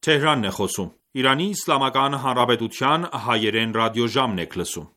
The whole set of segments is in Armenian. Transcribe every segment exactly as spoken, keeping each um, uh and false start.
Թեհրանն է խոսում։ Իրանի Իսլամական Հանրապետության հայերեն ռադիոժամն եք լսում։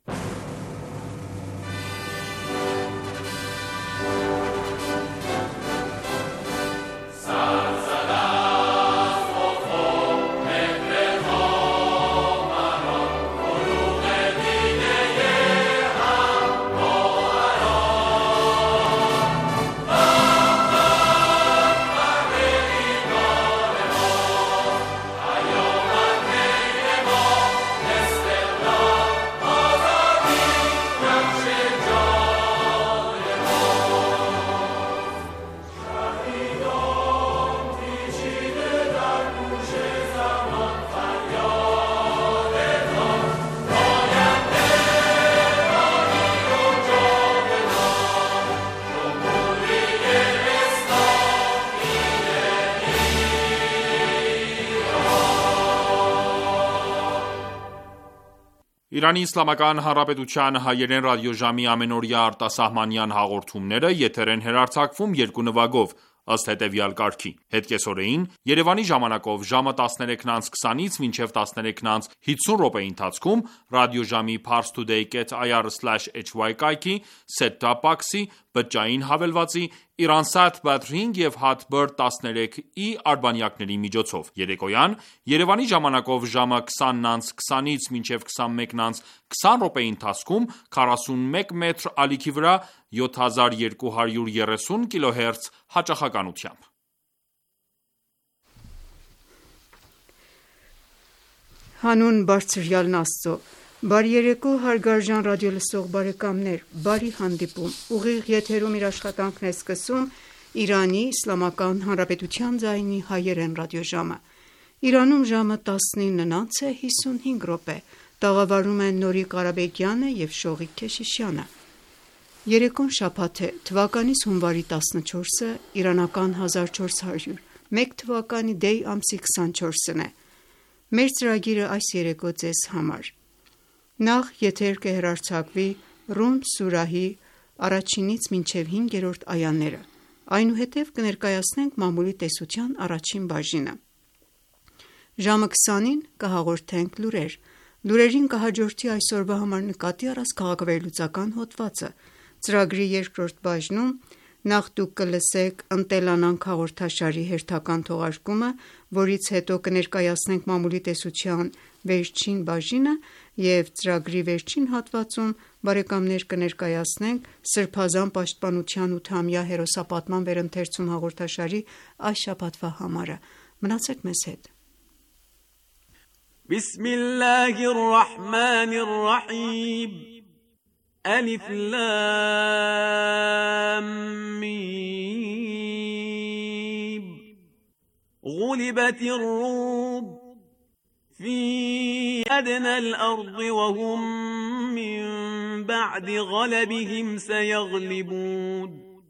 Իրանի Իսլամական Հանրապետության հայերեն ռադիոժամի ամենօրյա արտասահմանյան հաղորդումները եթեր են հեռարձակվում երկու նվագով, ըստ հետևյալ կարգի: Հետկեսօրեին Երևանի ժամանակով ժամը տասներեքն անց քսանից մինչև տասներեքն անց հիսուն րոպեի ընթացքում ռադիոժամի parstoday dot i r slash h y կայքի, set-top box-ի, բջջային հավելվածի, Iransat Badrink և Hatbird տասներեք i արբանյակների միջոցով: Երեկոյան Երևանի ժամանակով ժամը քսանն անց քսանից մինչև քսանմեկն անց քսան րոպեի ընթացքում քառասունմեկ մետր ալիքի վրա յոթ հազար երկու հարյուր երեսուն կիլոհերց հաճախականությամբ։ Հանուն Բարձրյալն Աստծո, բարի երեկո հարգարժան ռադիոլսող բարեկամներ, բարի հանդիպում, ուղիղ եթերում իր աշխատանքն է սկսում Իրանի Իսլամական Հանրապետության ձայնի հայերեն ռադիոժամը: Իրանում ժամը տասնինն անց է հիսունհինգ րոպե, տաղավարում են Նորիկ Ղարաբեկյանը և Շողիկ Քեշիշյանը: Երեկոն շաբաթ է, թվականիս հունվարի տասնչորսը, իրանական հազար չորս հարյուր մեկ թվականի դեյ ամսի քսանչորսն է: Մեր ծրագիրը այս երեկո ձեզ համար: Նախ եթեր կհեռարձակվի Ռում սուրահի առաջինից մինչև հինգերորդ այաները, այնուհետև կներկայացնենք մամուլի տեսության առաջին բաժինը: Ժամը քսանին կհաղորդենք լուրեր: Լուրերին կհաջորդի այսօրվա համար նկատի առած քաղաքավերլուծական հոդվածը: Ծրագրի երկրորդ բաժնում նախ դուք կլսեք «Ընտելանանք» հաղորդաշարի հերթական թողարկումը, որից հետո կներկայացնենք մամուլի տեսության վերջին բաժինը և ծրագրի վերջին հատվածում կներկայացնենք Սրբազան պաշտպանության ութամյա հերոսապատման վերընթերցում հաղորդաշարի այս շաբաթվա համարը: Մնացեք մեզ հետ: Բիսմիլլահիր ռահմանիր ռահիմ Ալիֆ լամ միմ Ղուլիբաթիր ռում في أدنى الأرض وهم من بعد غلبهم سيغلبون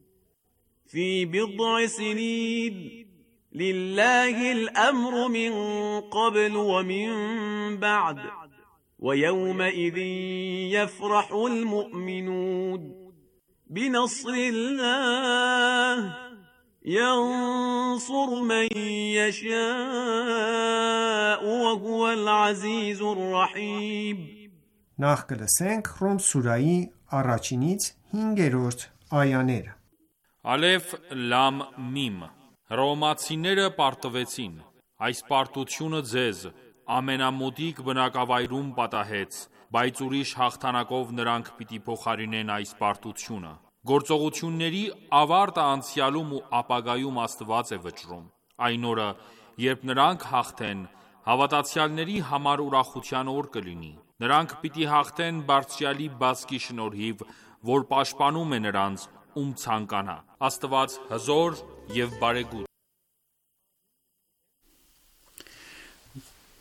في بضع سنين لله الأمر من قبل ومن بعد ويومئذ يفرح المؤمنون بنصر الله ينصر من يشاء وهو العزيز الرحيم Նախ կլսենք Ռում սուրայի առաջինից հինգերորդ այաները: Ալեֆ լամ միմ Հռոմեացիները պարտվեցին: Այս պարտությունը ձեզ ամենամոտիկ բնակավայրում պատահեց, բայց ուրիշ հաղթանակով նրանք պիտի փոխարինեն այս պարտությունը: Գործողությունների ավարտը անցյալում ու ապագայում Աստված է վճռում: Այն օրը, երբ նրանք հաղթեն, հավատացյալների համար ուրախության օր կլինի: Նրանք պիտի հաղթեն Բարձրյալի բազկի շնորհիվ, որ պաշտպանում է նրանց, ում ցանկանա: Աստված հզոր և բարեգութ է: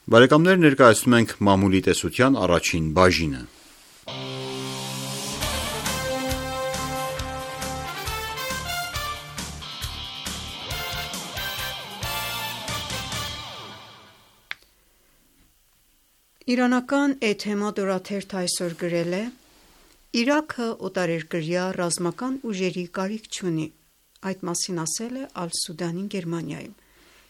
Բարեկամներ ներկայացնում ենք մամուլի տեսության առաջին բաժինը: Իրանական Էթեմադ օրաթերթը այսօր գրել է. «Իրաքը օտարերկրյա ռազմական ուժերի կարիք չունի», այդ մասին ասել է Ալ-Սուդանի Գերմանիայում: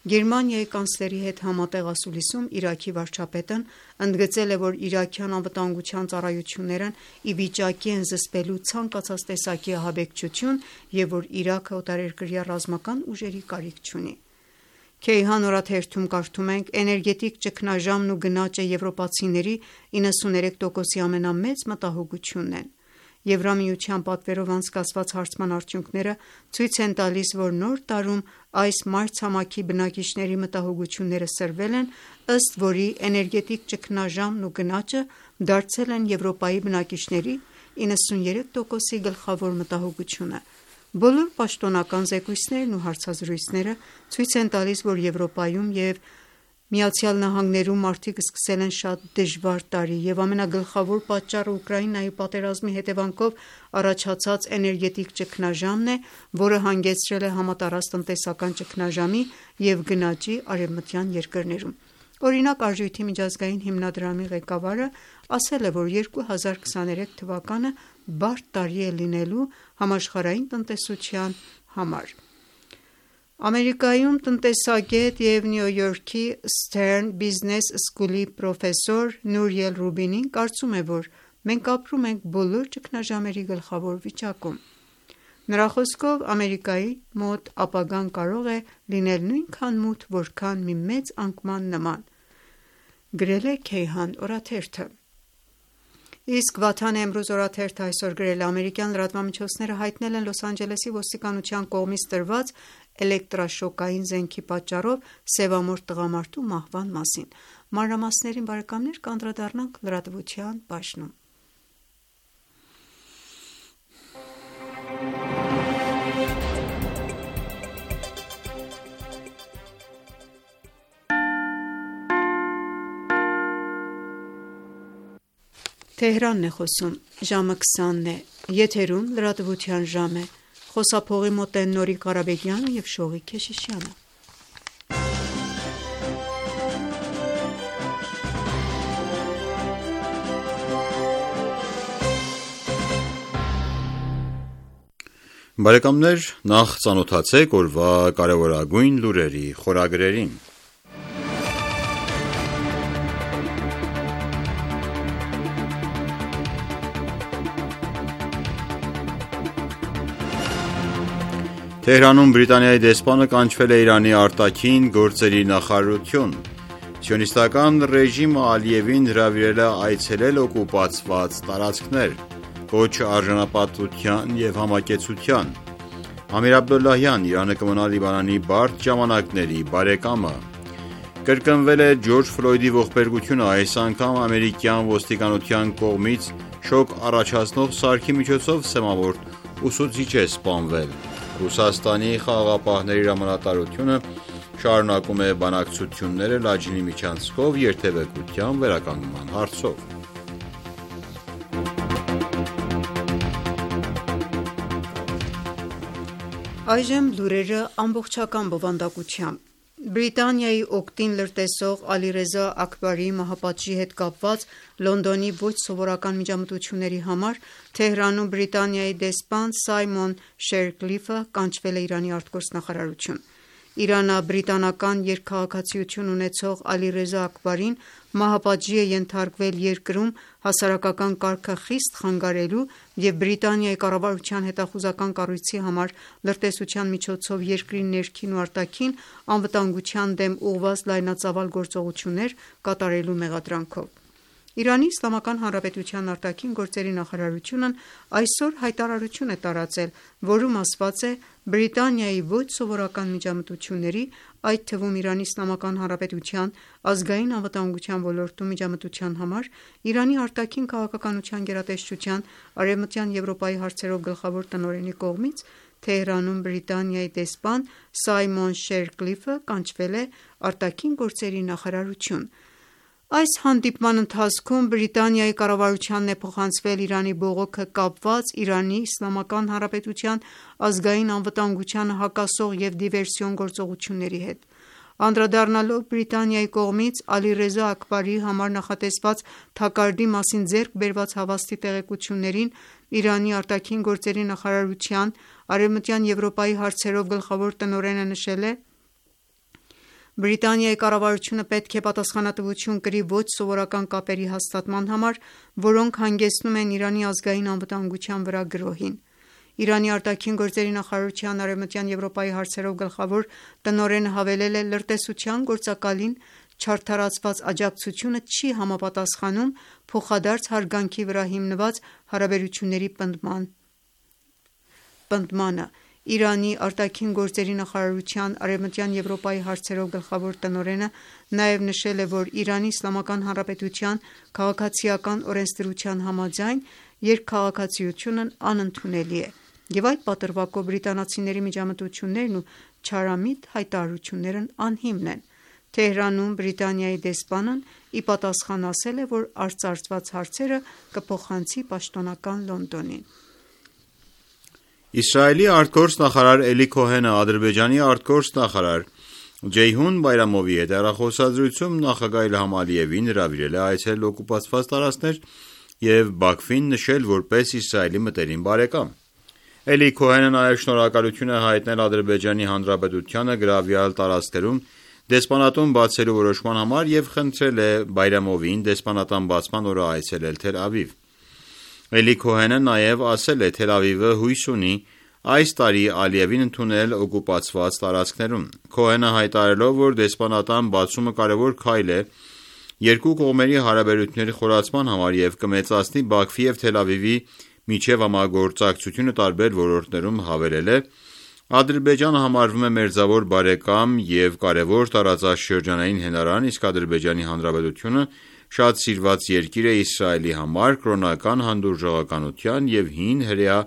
Գերմանիայի կանցլերի հետ համատեղ ասուլիսում Իրաքի վարչապետն ընդգծել է, որ իրաքյան անվտանգության ծառայություններն ի վիճակի են զսպելու ցանկացած տեսակի ահաբեկչություն և որ Իրաքը օտարերկրյա ռազմական ուժերի կարիք չունի։ Քեյհան օրաթերթում կարդում ենք. «Էներգետիկ ճգնաժամն ու գնաճը եվրոպացիների իննսուններեք տոկոսի ամենամեծ մտահոգությունն են։ Եվրամիության պատվերով անցկացված հարցման արդյունքները ցույց են տալիս, որ նոր տարում այս մայրցամաքի բնակիչների մտահոգությունները սրվել են, ըստ որի էներգետիկ ճգնաժամն ու գնաճը դարձել են Եվրոպայի բնակիչների իննսուններեք տոկոսի գլխավոր մտահոգությունը։ Բոլոր պաշտոնական զեկույցներն ու հարցազրույցները ցույց են տալիս, որ Եվրոպայում և ԱՄՆ-ում մարդիկ սկսել են շատ դժվար տարի, և ամենագլխավոր պատճառը Ուկրաինայի պատերազմի հետևանքով առաջացած էներգետիկ ճգնաժամն է, որը հանգեցրել է համատարած տնտեսական ճգնաժամի և գնաճի արևմտյան երկրներում։ Օրինակ, Արժույթի միջազգային հիմնադրամի ղեկավարը ասել է, որ երկու հազար քսաներեք թվականը բարդ տարի է լինելու համաշխարհային տնտեսության համար։ Ամերիկայում տնտեսագետ և Նյու Յորքի Stern Business School-ի պրոֆեսոր Նուրիել Ռուբինին կարծում է, որ մենք ապրում ենք բոլոր ճգնաժամերի գլխավոր վիճակում։ Նրա խոսքով, Ամերիկայի մոտ ապագան կարող է լինել նույնքան մութ, որքան մի մեծ անկման նման, գրել է Քեյհան օրաթերթը։ Իսկ Վաթան Էմրուզ օրաթերթը այսօր գրել է. ամերիկյան լրատվամիջոցները հայտնել են Լոս Անջելեսի ոստիկանության կողմից տրված էլեկտրաշոկային զենքի պատճառով սևամորթ տղամարդու մահվան մասին։ Մանրամասներին բարեկամներ կանդրադառնանք լրատվության բաժնում։ Թեհրանն է խոսում, ժամը քսանն է, եթերում լրատվության ժամ է, խոսափողի մոտ են Նորիկ Ղարաբեգյանը և Շողիկ Քեշիշյանը։ Բարեկամներ, նախ ծանոթացեք օրվա կարևորագույն լուրերի խորագրերին։ Թեհրանում Բրիտանիայի դեսպանը կանչվել է Իրանի արտաքին գործերի նախարարություն։ Սիոնիստական ռեժիմը Ալիևին հրավիրել է այցելել օկուպացված տարածքներ։ Կոչ արժանապատվության և համակեցության։ Ամիր Աբդոլլահյան, Իրանը կմնա Լիբանանի բարդ ժամանակների բարեկամը։ Կրկնվել է Ջորջ Ֆլոյդի ողբերգությունը, այս անգամ ամերիկյան ոստիկանության կողմից շոկ առաջացնող սարքի միջոցով սեմավորտ ուսուցիչ է սպանվել։ Ռուսաստանի խաղաղապահների հրամանատարությունը շարունակում է բանակցությունները Լաջինի միջանցքով երթևեկության վերականգնման հարցով։ Այժմ լուրերը ամբողջական բովանդակությամբ։ Բրիտանիայի օգտին լրտեսող Ալիրեզա Աքբարիի մահապատժի հետ կապված Լոնդոնի ոչ սովորական միջամտությունների համար Թեհրանում Բրիտանիայի դեսպան Սայմոն Շերկլիֆը կանչվել է Իրանի արտգործնախարարություն։ Իրանա-բրիտանական երկքաղաքացիություն ունեցող Ալիրեզա Աքբարին մահապատժի է ենթարկվել երկրում հասարակական կարգը խիստ խանգարելու և Բրիտանիայի կառավարության հետախուզական կառույցի համար լրտեսության միջոցով երկրի ներքին ու արտաքին անվտանգության դեմ ուղղված լայնածավալ գործողություններ կատարելու մեղադրանքով։ Իրանի Իսլամական Հանրապետության արտաքին գործերի նախարարությունն այսօր հայտարարություն է տարածել, որում ասված է. Բրիտանիայի ոչ սովորական միջամտությունների, այդ թվում Իրանի Իսլամական Հանրապետության ազգային անվտանգության ոլորտում միջամտության համար Իրանի արտաքին քաղաքականության գերատեսչության Արևմտյան Եվրոպայի հարցերով գլխավոր տնօրենի կողմից Թեհրանում Բրիտանիայի դեսպան Սայմոն Շերկլիֆը կանչվել է արտաքին գործերի նախարարություն։ Այս հանդիպման ընթացքում Բրիտանիայի կառավարությանն է փոխանցվել Իրանի բողոքը կապված Իրանի Իսլամական Հանրապետության ազգային անվտանգությանը հակասող և դիվերսիոն գործողությունների հետ։ Անդրադառնալով Բրիտանիայի կողմից Ալիրեզա Աքբարիի համար նախատեսված թակարդի մասին ձեռք բերված հավաստի տեղեկություններին, Իրանի արտաքին գործերի նախարարության Արևմտյան Եվրոպայի հարցերով գլխավոր տնօրենը նշել է. Բրիտանիայի կառավարությունը պետք է պատասխանատվություն կրի ոչ սովորական կապերի հաստատման համար, որոնք հանգեցնում են Իրանի ազգային անվտանգության վրա գրոհին։ Իրանի արտաքին գործերի նախարարության Արևմտյան Եվրոպայի հարցերով գլխավոր տնօրենը հավելել է. «Լրտեսության գործակալին չարդարացված աջակցությունը չի համապատասխանում փոխադարձ հարգանքի վրա հիմնված հարաբերությունների պնդմանը»։ Իրանի արտաքին գործերի նախարարության Արևմտյան Եվրոպայի հարցերով գլխավոր տնօրենը նաև նշել է, որ Իրանի Իսլամական Հանրապետության քաղաքացիական օրենսդրության համաձայն երկքաղաքացիությունն անընդունելի է, և այդ պատրվակով բրիտանացիների միջամտություններն ու չարամիտ հայտարարություններն անհիմն են։ Թեհրանում Բրիտանիայի դեսպանն ի պատասխան ասել է, որ արծարծված հարցերը կփոխանցի պաշտոնական Լոնդոնին։ Իսրայելի արտգործնախարար Էլի Քոհենը Ադրբեջանի արտգործնախարար Ջեյհուն Բայրամովի հետ հեռախոսազրույցում նախագահ Իլհամ Ալիևին հրավիրել է այցելել օկուպացված տարածքներ և Բաքվին նշել որպես Իսրայելի մտերիմ բարեկամ։ Էլի Քոհենը նաև շնորհակալություն է հայտնել Ադրբեջանի Հանրապետությանը գրավյալ տարածքներում դեսպանատուն բացելու որոշման համար և խնդրել է Բայրամովին դեսպանատան բացման օրը այցելել Թել Ավիվ։ Էլի Քոհենը նաև ասել է. «Թել Ավիվը հույս ունի այս տարի Ալիևին ընդունել օկուպացված տարածքներում»։ Քոհենը հայտարարելով, որ դեսպանատան բացումը կարևոր քայլ է երկու կողմերի հարաբերությունների խորացման համար և կմեծացնի Բաքվի և Թել Ավիվի միջև համագործակցությունը տարբեր ոլորտներում, հավելել է. «Ադրբեջանը համարվում է մերձավոր բարեկամ և կարևոր տարածաշրջանային հենարան, իսկ Ադրբեջանի Հանրապետությունը շատ սիրված երկիր է Իսրայելի համար կրոնական հանդուրժողականության և հին հրեա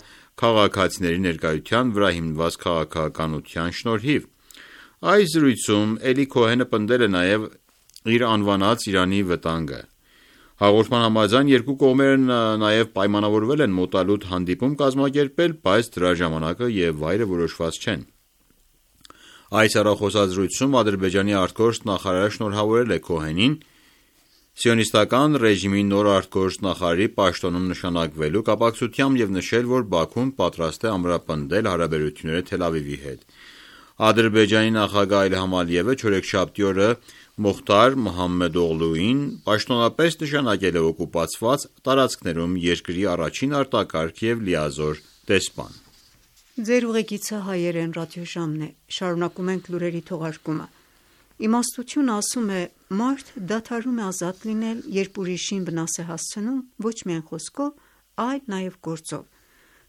քաղաքացիների ներկայության վրա հիմնված քաղաքականության շնորհիվ»։ Այս զրույցում Էլի Քոհենը պնդել է նաև իր անվանած Իրանի վտանգը։ Հաղորդման համաձայն երկու կողմերը նաև պայմանավորվել են մոտալուտ հանդիպում կազմակերպել, բայց դրա ժամանակը և վայրը որոշված չեն։ Այս հեռախոսազրույցում Ադրբեջանի արտգործնախարարը շնորհավորել է Քոհենին Սիոնիստական ռեժիմի նոր արտգործնախարարի պաշտոնում նշանակվելու կապակցությամբ և նշել, որ Բաքուն պատրաստ է ամրապնդել հարաբերությունները Թել Ավիվի հետ։ Ադրբեջանի նախագահ Իլհամ Ալիևը չորեքշաբթի օրը Մոխթար Մոհամմեդօղլուին պաշտոնապես նշանակել է օկուպացված տարածքներում երկրի առաջին արտակարգ և լիազոր դեսպան։ Շարունակում ենք լուրերի թողարկումը։ Իմաստությունը ասում է. «Մարդ դադարում է ազատ լինել, երբ ուրիշին վնաս է հասցնում ոչ միայն խոսքով, այլ նաև գործով»։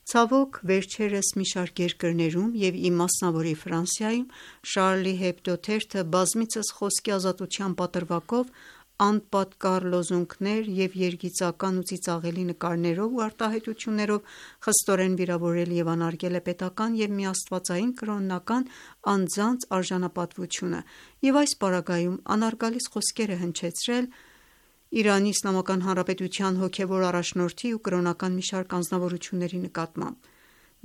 Ցավոք, վերջերս մի շարք երկրներում և ի մասնավորի Ֆրանսիայում Շարլի Հեբդո թերթը բազմիցս խոսքի ազատության պատրվակով անպատկառ լոզունգներ և երգիծական ու ծիծաղելի նկարներով ու արտահայտություններով խստորեն վիրավորել և անարգել է պետական և միաստվածային կրոնական անձանց արժանապատվությունը և այս պարագայում անհարգալից խոսքեր է հնչեցրել Իրանի Իսլամական Հանրապետության հոգևոր առաջնորդի ու կրոնական մի շարք անձնավորությունների նկատմամբ։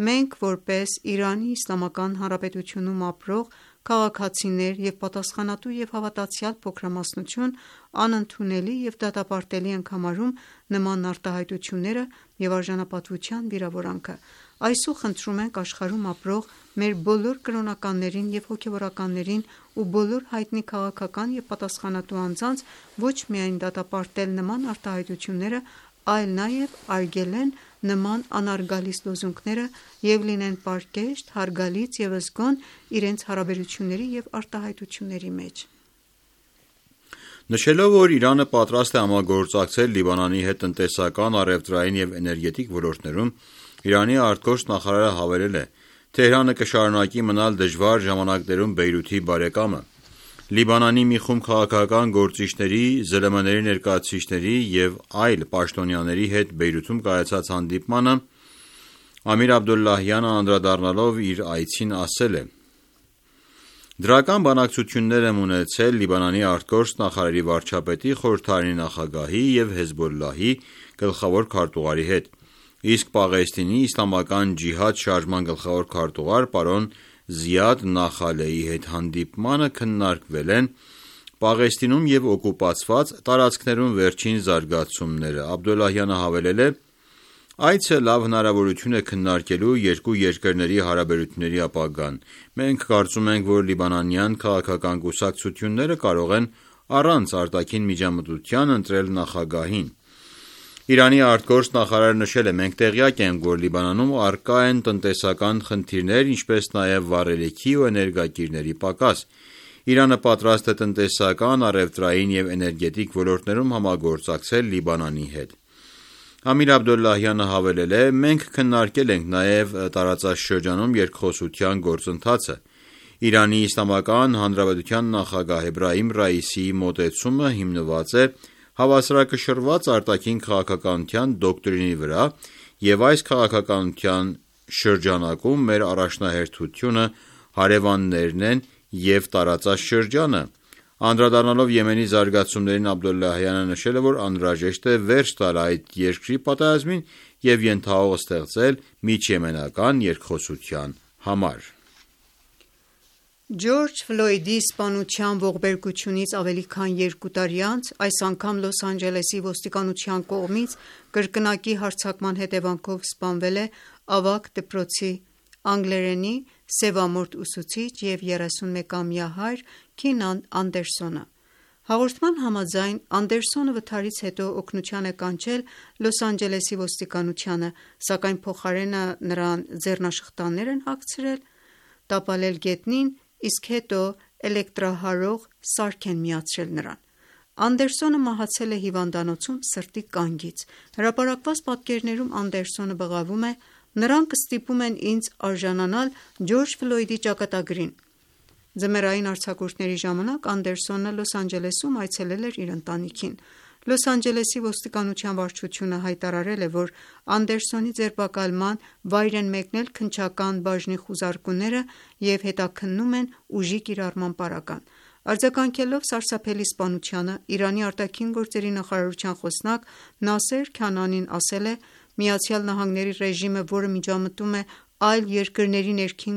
Մենք, որպես Իրանի Իսլամական Հանրապետությունում ապրող քաղաքացիներ և պատասխանատու և հավատացյալ փոքրամասնություն, անընդունելի և դատապարտելի ենք համարում նման արտահայտությունները և արժանապատվության վիրավորանքը։ Այսօր խնդրում ենք աշխարհում ապրող մեր բոլոր կրոնականներին և հոգևորականներին ու բոլոր հայտնի քաղաքական և պատասխանատու անձանց ոչ միայն դատապարտել նման արտահայտությունները, այլ նաև արգելեն նման անհարգալից լոզունգները և լինեն պարկեշտ, հարգալից և զգոն իրենց հարաբերությունների և արտահայտությունների մեջ։ Նշելով, որ Իրանը պատրաստ է համագործակցել Լիբանանի հետ տնտեսական, առևտրային և էներգետիկ ոլորտներում, Իրանի արտգործնախարարը հավելել է. «Թեհրանը կշարունակի մնալ դժվար ժամանակներում Բեյրութի բարեկամը»։ Լիբանանի մի խումբ քաղաքական գործիչների, ԶԼՄ-ների ներկայացուցիչների և այլ պաշտոնյաների հետ Բեյրութում կայացած հանդիպմանը Ամիր Աբդոլլահյանը անդրադառնալով իր այցին ասել է. «Դրական բանակցություններ եմ ունեցել Լիբանանի արտգործնախարարի վարչապետի, խորհրդարանի նախագահի և Հեզբոլլահի գլխավոր քարտուղարի հետ, իսկ Պաղեստինի իսլամական ջիհադ շարժման գլխավոր քարտուղար պարոն Զիադ Նախալեի հետ հանդիպմանը քննարկվել են Պաղեստինում և օկուպացված տարածքներում վերջին զարգացումները»։ Աբդոլլահյանը հավելել է. Այցը լավ հնարավորություն է քննարկելու երկու երկրների հարաբերությունների ապագան։ Մենք կարծում ենք, որ լիբանանյան քաղաքական կուսակցությունները կարող են առանց արտաքին միջամտության ընտրել նախագահին։ Իրանի արտգործ նախարարը նշել է. «Մենք տեղյակ ենք, որ Լիբանանում առկա են տնտեսական խնդիրներ, ինչպես նաև վառելիքի ու էներգակիրների պակաս։ Իրանը պատրաստ է տնտեսական, առևտրային և էներգետիկ ոլորտներում համագործակցել Լիբանանի հետ»։ Ամիր Աբդոլլահյանը հավելել է. «Մենք քննարկել ենք նաև տարածաշրջանում երկխոսության գործընթացը։ Իրանի Իսլամական Հանրապետության նախագահ Էբրահիմ Ռայիսիի մոտեցումը հիմնված է հավասարակշռված արտաքին քաղաքականության դոկտրինի վրա, և այս քաղաքականության շրջանակում մեր առաջնահերթությունը հարևաններն են և տարածաշրջանը»։ Անդրադառնալով Եմենի զարգացումներին, Աբդոլլահյանը նշել է, որ անհրաժեշտ է վերջ տալ այդ երկրի պատերազմին և ենթահող ստեղծել միջիեմենական երկխոսության համար։ Ջորջ Ֆլոյդի սպանության ողբերգությունից ավելի քան երկու տարի անց այս անգամ Լոս Անջելեսի ոստիկանության կողմից կրկնակի հարձակման հետևանքով սպանվել է ավագ դպրոցի անգլերենի սևամորթ ուսուցիչ և երեսունմեկամյա հայր Քինան Անդերսոնը։ Հաղորդման համաձայն, Անդերսոնը վթարից հետո օգնության է կանչել Լոս Անջելեսի ոստիկանությանը, սակայն փոխարենը նրան ձեռնաշխտաններ են հագցրել, տապալել գետնին, իսկ հետո էլեկտրահարող սարք են միացրել նրան։ Անդերսոնը մահացել է հիվանդանոցում սրտի կանգից։ Հրապարակված պատկերներում Անդերսոնը բղավում է. «Նրանք ստիպում են ինձ արժանանալ Ջորջ Ֆլոյդի ճակատագրին»։ Ձմեռային արձակուրդների ժամանակ Անդերսոնը Լոս Անջելեսում այցելել էր իր ընտանիքին։ Լոս Անջելեսի ոստիկանության վարչությունը հայտարարել է, որ Անդերսոնի ձերբակալման վայր են մեկնել քննչական բաժնի խուզարկուները և հետաքննում են ուժի կիրառման պարագան։ Արձագանքելով սարսափելի սպանությանը, Իրանի արտաքին գործերի նախարարության խոսնակ Նասեր Քանանին ասել է. «ԱՄՆ-ի ռեժիմը, որը միջամտում է այլ երկրների ներքին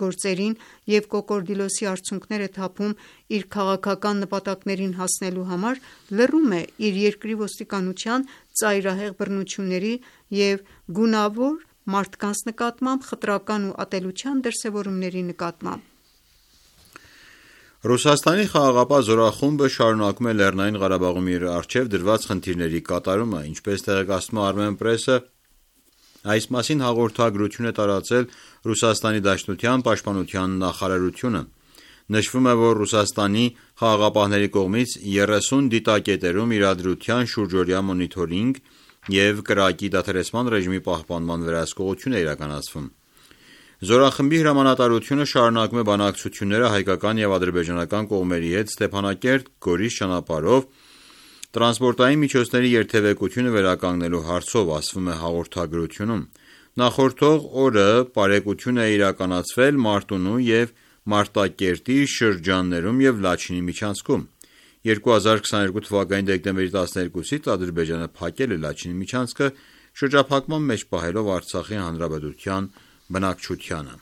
գործերին և կոկորդիլոսի արդյունքներ է թափում իր քաղաքական նպատակներին հասնելու համար, լռում է իր երկրի ոստիկանության ծայրահեղ բռնությունների և գունավոր մարդկանց նկատմամբ խտրական ու ատելության դրսևորումների նկատմամբ»։ Ռուսաստանի խաղաղապահ զորախումբը շարունակում է Լեռնային Ղարաբաղում իր առջև դրված խնդիրների կատարումը։ Ինչպես տեղեկացնում է Armenpress-ը, այս մասին հաղորդագրություն է տարածել Ռուսաստանի Դաշնության պաշտպանության նախարարությունը։ Նշվում է, որ Ռուսաստանի խաղաղապահների կողմից երեսուն դիտակետերում իրադրության շուրջօրյա մոնիթորինգ և կրակի դադարեցման ռեժիմի պահպանման վերահսկողություն է իրականացվում։ Զորախմբի հրամանատարությունը շարունակում է բանակցությունները հայկական և ադրբեջանական կողմերի հետ Ստեփանակերտ-Գորիս ճանապարհով տրանսպորտային միջոցների երթևեկությունը վերականգնելու հարցով, ասվում է հաղորդագրությունում։ Նախորդող օրը պարեկություն է իրականացվել Մարտունու և Մարտակերտի շրջաններում և Լաչինի միջանցքում։ երկու հազար քսաներկու թվականի դեկտեմբերի տասներկուսից Ադրբեջանը փակել է Լաչինի միջանցքը, շրջափակման մեջ պահելով Արցախի հանրապետության բնակչությանը։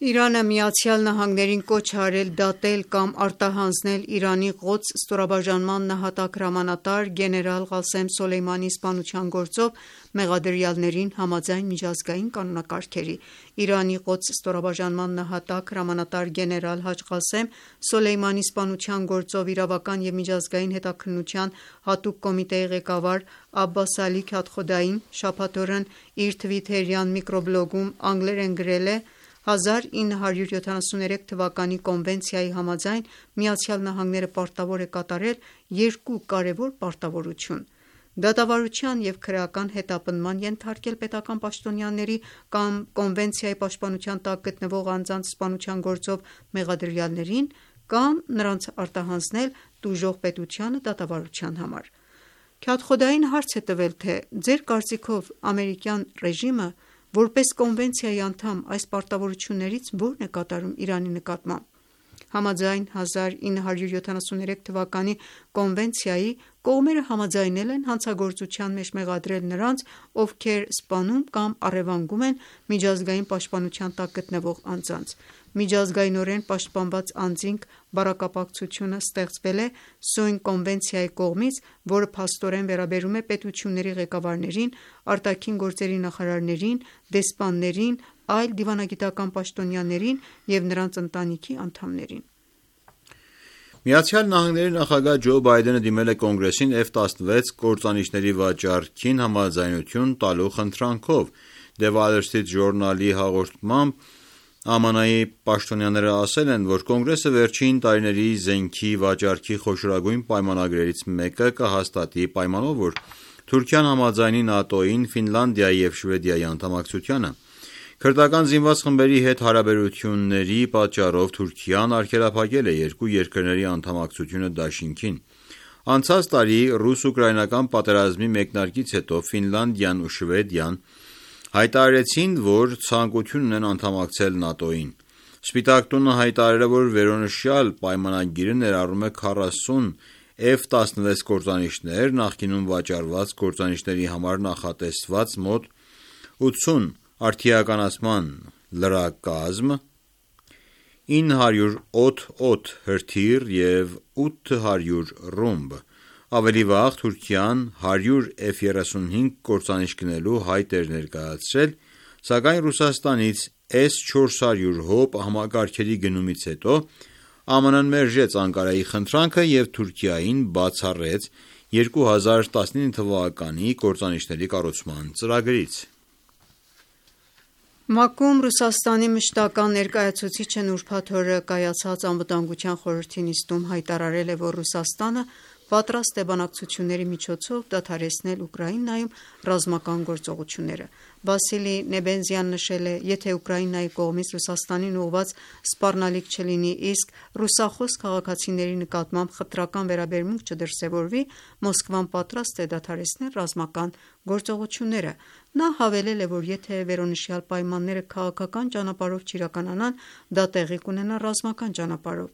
Իրանը ԱՄՆ-ին կոչ է արել դատել կամ արտահանձնել Իրանի Ղոդս ստորաբաժանման նահատակ հրամանատար գեներալ Ղասեմ Սոլեյմանիի սպանության գործով մեղադրյալներին համաձայն միջազգային կանոնակարգերի։ Իրանի Ղոդս ստորաբաժանման նահատակ հրամանատար գեներալ Հաջ Ղասեմ Սոլեյմանիի սպանության գործով իրավական և միջազգային հետաքննության հատուկ կոմիտեի ղեկավար Աբբաս Ալի Քաթխոդային շաբաթ օրն իր թվիթերյան միկրոբլոգում անգլերեն գրել է. «հազար ինը հարյուր յոթանասուներեք թվականի կոնվենցիայի համաձայն ԱՄՆ-ը պարտավոր է կատարել երկու կարևոր պարտավորություն՝ դատավարության և քրեական հետապնդման ենթարկել պետական պաշտոնյաների կամ կոնվենցիայի պաշտպանության տակ գտնվող անձանց սպանության գործով մեղադրյալներին կամ նրանց արտահանձնել տուժող պետությանը դատավարության համար»։ Քաթխոդային հարց է տվել, թե ձեր կարծիքով ամերիկյան ռեժիմը որպես կոնվենցիայի անդամ այս պարտավորություններից ո՞րն է կատարում Իրանի նկատմամբ։ Համաձայն հազար ինը հարյուր յոթանասուներեք թվականի կոնվենցիայի, կողմերը համաձայնել են հանցագործության մեջ մեղադրել նրանց, ովքեր սպանում կամ առևանգում են միջազգային պաշտպանության տակ գտնվող անձանց։ Միջազգայինորեն պաշտպանված անձինք բառակապակցությունը ստեղծվել է Սոյն կոնվենցիայի կողմից, որը փաստորեն վերաբերում է պետությունների ղեկավարներին, արտաքին գործերի նախարարներին, դեսպաններին, այլ դիվանագիտական պաշտոնյաներին և նրանց ընտանիքի անդամներին։ ԱՄՆ նախագահ Ջո Բայդենը դիմել է Կոնգրեսին Էֆ տասնվեց կործանիչների վաճառքին համաձայնություն տալու խնդրանքով։ The Wall Street Journal-ի հաղորդմամբ ԱՄՆ-ի պաշտոնյաները ասել են, որ Կոնգրեսը վերջին տարիների զենքի վաճառքի խոշորագույն պայմանագրերից մեկը կհաստատի պայմանով, որ Թուրքիան համաձայնի ՆԱՏՕ-ին, Ֆինլանդիայի և Շվեդիայի անդամակցությանը։ Քրդական զինված խմբերի հետ հարաբերությունների պատճառով Թուրքիան արգելափակել է երկու երկրների անդամակցությունը դաշինքին։ Անցած տարի ռուս-ուկրաինական պատերազմի մեկնարկից հետո Ֆինլանդիան ու Շվեդիան հայտարարեցին, որ ցանկություն ունեն անդամակցել ՆԱՏՕ-ին։ Սպիտակ տունը հայտարարել է, որ վերոնշյալ պայմանագիրը ներառում է քառասուն Էֆ տասնվեց կործանիչներ, նախկինում վաճառված կործանիչների համար նախատեսված մոտ ութսուն արդիականացման լրակազմ, ինը հարյուր օդ հրթիռ և ութ հարյուր ռումբ։ Ավելի վաղ Թուրքիան հարյուր Էֆ երեսունհինգ կործանիչ գնելու հայտ էր ներկայացրել, սակայն Ռուսաստանից Էս չորս հարյուր հոբ համակարգերի գնումից հետո ԱՄՆ-ն մերժեց Անկարայի խնդրանքը և Թուրքիային բացառեց երկու հազար տասնինը թվականի կործանիչների կառուցման ծրագրից։ ՄԱԿ-ում Ռուսաստանի մշտական ներկայացուցիչն ուրբաթ օրը կայացած Անվտանգության խորհրդի նիստում հայտարարել է, որ Ռուսաստանը պատրաստ է բանակցությունների միջոցով դադարեցնել Ուկրաինայում ռազմական գործողությունները։ Վասիլի Նեբենզյան նշել է. «Եթե Ուկրաինայի կողմից Ռուսաստանին ուղղված սպառնալիք չլինի, իսկ ռուսախոս քաղաքացիների նկատմամբ խտրական վերաբերմունք չդրսևորվի, Մոսկվան պատրաստ է դադարեցնել ռազմական գործողությունները»։ Նա հավելել է, որ եթե վերոնշյալ պայմանները քաղաքական ճանապարհով չիրականանան, դա տեղի կունենա ռազմական ճանապարհով։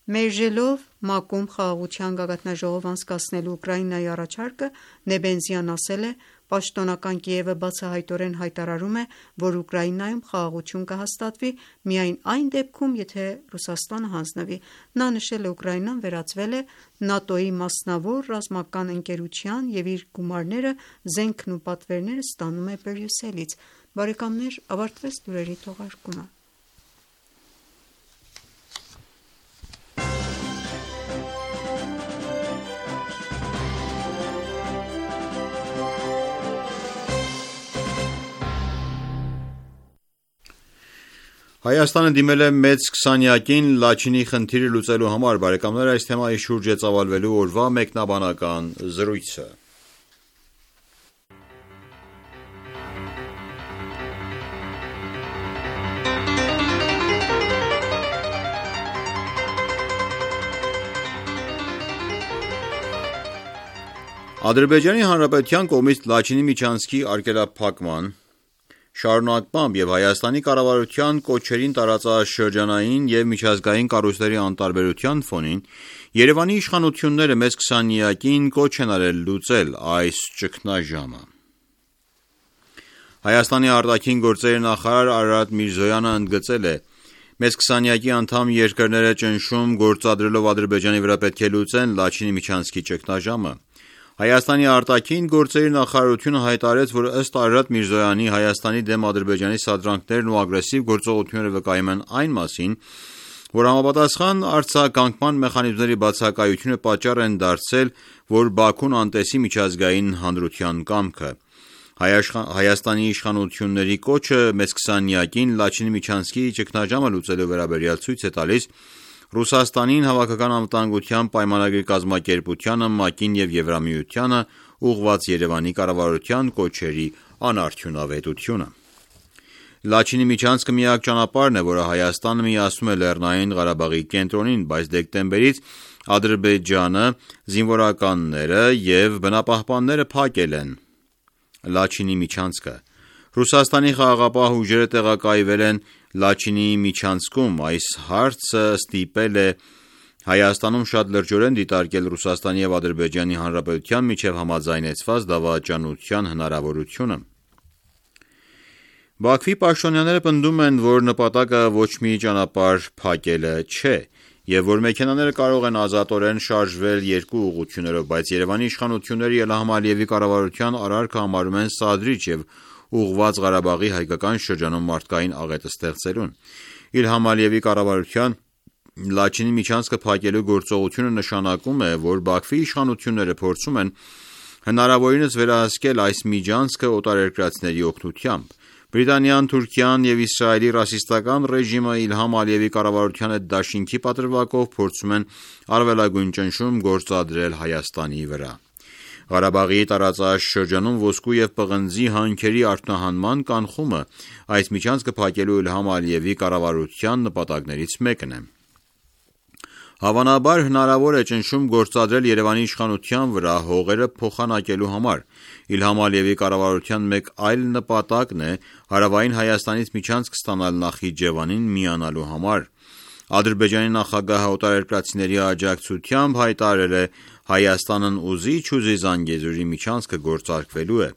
Մերժելով ՄԱԿ-ում խաղաղության գագաթնաժողով անցկացնելու Ուկրաինայի առաջարկը, Նեբենզյան ասել է. «Պաշտոնական Կիևը բացահայտորեն հայտարարում է, որ Ուկրաինայում խաղաղություն կհաստատվի միայն այն դեպքում, եթե Ռուսաստանը հանձնվի»։ Նա նշել է. «Ուկրաինան վերածվել է ՆԱՏՕ-ի մասնավոր ռազմական ընկերության և իր գումարները, զենքն ու պատվերները ստանում է Բրյուսելից»։ Բարեկամներ, ավարտվեց լուրերի թողարկումը։ Հայաստանը դիմել է մեծ քսանյակին Լաչինի խնդիրը լուծելու համար։ Բարեկամներ, այս թեմայի շուրջ է ծավալվելու օրվա մեկնաբանական զրույցը։ Ադրբեջանի Հանրապետության կողմից Լաչինի միջանցքի արգելափակման շարունակմամբ և Հայաստանի կառավարության կոչերին տարածաշրջանային և միջազգային կառույցների անտարբերության ֆոնին Երևանի իշխանությունները մեծ քսանյակին կոչ են արել լուծել այս ճգնաժամը։ Հայաստանի արտաքին գործերի նախարար Արարատ Միրզոյանը ընդգծել է. «Մեծ քսանյակի անդամ երկրները ճնշում գործադրելով Ադրբեջանի վրա պետք է լուծեն Լաչինի միջանցքի ճգնաժամը»։ Հայաստանի արտաքին գործերի նախարարությունը հայտարարեց, որ ըստ Արարատ Միրզոյանի Հայաստանի դեմ Ադրբեջանի սադրանքներն ու ագրեսիվ գործողությունները վկայում են այն մասին, որ համապատասխան արձագանքման մեխանիզմների բացակայությունը պատճառ են դարձել, որ Բաքուն անտեսի միջազգային հանրության կամքը։ Հայաստանի իշխանությունների կոչը մեծ քսանյակին Լաչինի միջանցքի ճգնաժամը լուծելու վերաբերյալ ցույց է տալիս Ռուսաստանին, Հավաքական անվտանգության պայմանագրի կազմակերպությանը, ՄԱԿ-ին և Եվրամիությանը ուղղված Երևանի կառավարության կոչերի անարդյունավետությունը։ Լաչինի միջանցքը միակ ճանապարհն է, որը Հայաստանը միացնում է Լեռնային Ղարաբաղի կենտրոնին, բայց դեկտեմբերից Ադրբեջանը, զինվորականները և բնապահպանները փակել են Լաչինի միջանցքը։ Ռուսաստանի խաղաղապահ ուժերը տեղակայվել են Լաչինի միջանցքում։ Այս հարցը ստիպել է Հայաստանում շատ լրջորեն դիտարկել Ռուսաստանի և Ադրբեջանի Հանրապետության միջև համաձայնեցված դավաճանության հնարավորությունը։ Բաքվի պաշտոնյաները պնդում են, որ նպատակը ոչ մի ճանապարհ փակելը չէ, և որ մեքենաները կարող են ազատորեն շարժվել երկու ուղղություններով, բայց Երևանի իշխանությունները Իլհամ Ալիևի կառավարության արարքը համարում են սադրիչ և ուղղված Ղարաբաղի հայկական շրջանում մարդկային աղետ ստեղծելուն։ Իլհամ Ալիևի կառավարության Լաչինի միջանցքը փակելու գործողությունը նշանակում է, որ Բաքվի իշխանությունները փորձում են հնարավորինս վերահսկել այս միջանցքը օտարերկրացիների օգնությամբ։ Բրիտանիան, Թուրքիան և Իսրայելի ռասիստական ռեժիմը Իլհամ Ալիևի կառավարության հետ դաշինքի պատրվակով փորձում են առավելագույն ճնշում գործադրել Հայաստանի վրա։ Ղարաբաղի տարածաշրջանում ոսկու և պղնձի հանքերի արտահանման կանխումը այս միջանցքը փակելու Իլհամ Ալիևի կառավարության նպատակներից մեկն է։ Հավանաբար հնարավոր է ճնշում գործադրել Երևանի իշխանության վրա հողերը փոխանակելու համար։ Իլհամ Ալիևի կառավարության մեկ այլ նպատակն է հարավային Հայաստանից միջանցք ստանալ Նախիջևանին միանալու համար։ Ադրբեջանի նախագահը օտարերկրացիների աջակցությամբ հայտարարել է Հայաստանն ուզի չուզի Զանգեզուրի միջանցքը գործարկվելու է։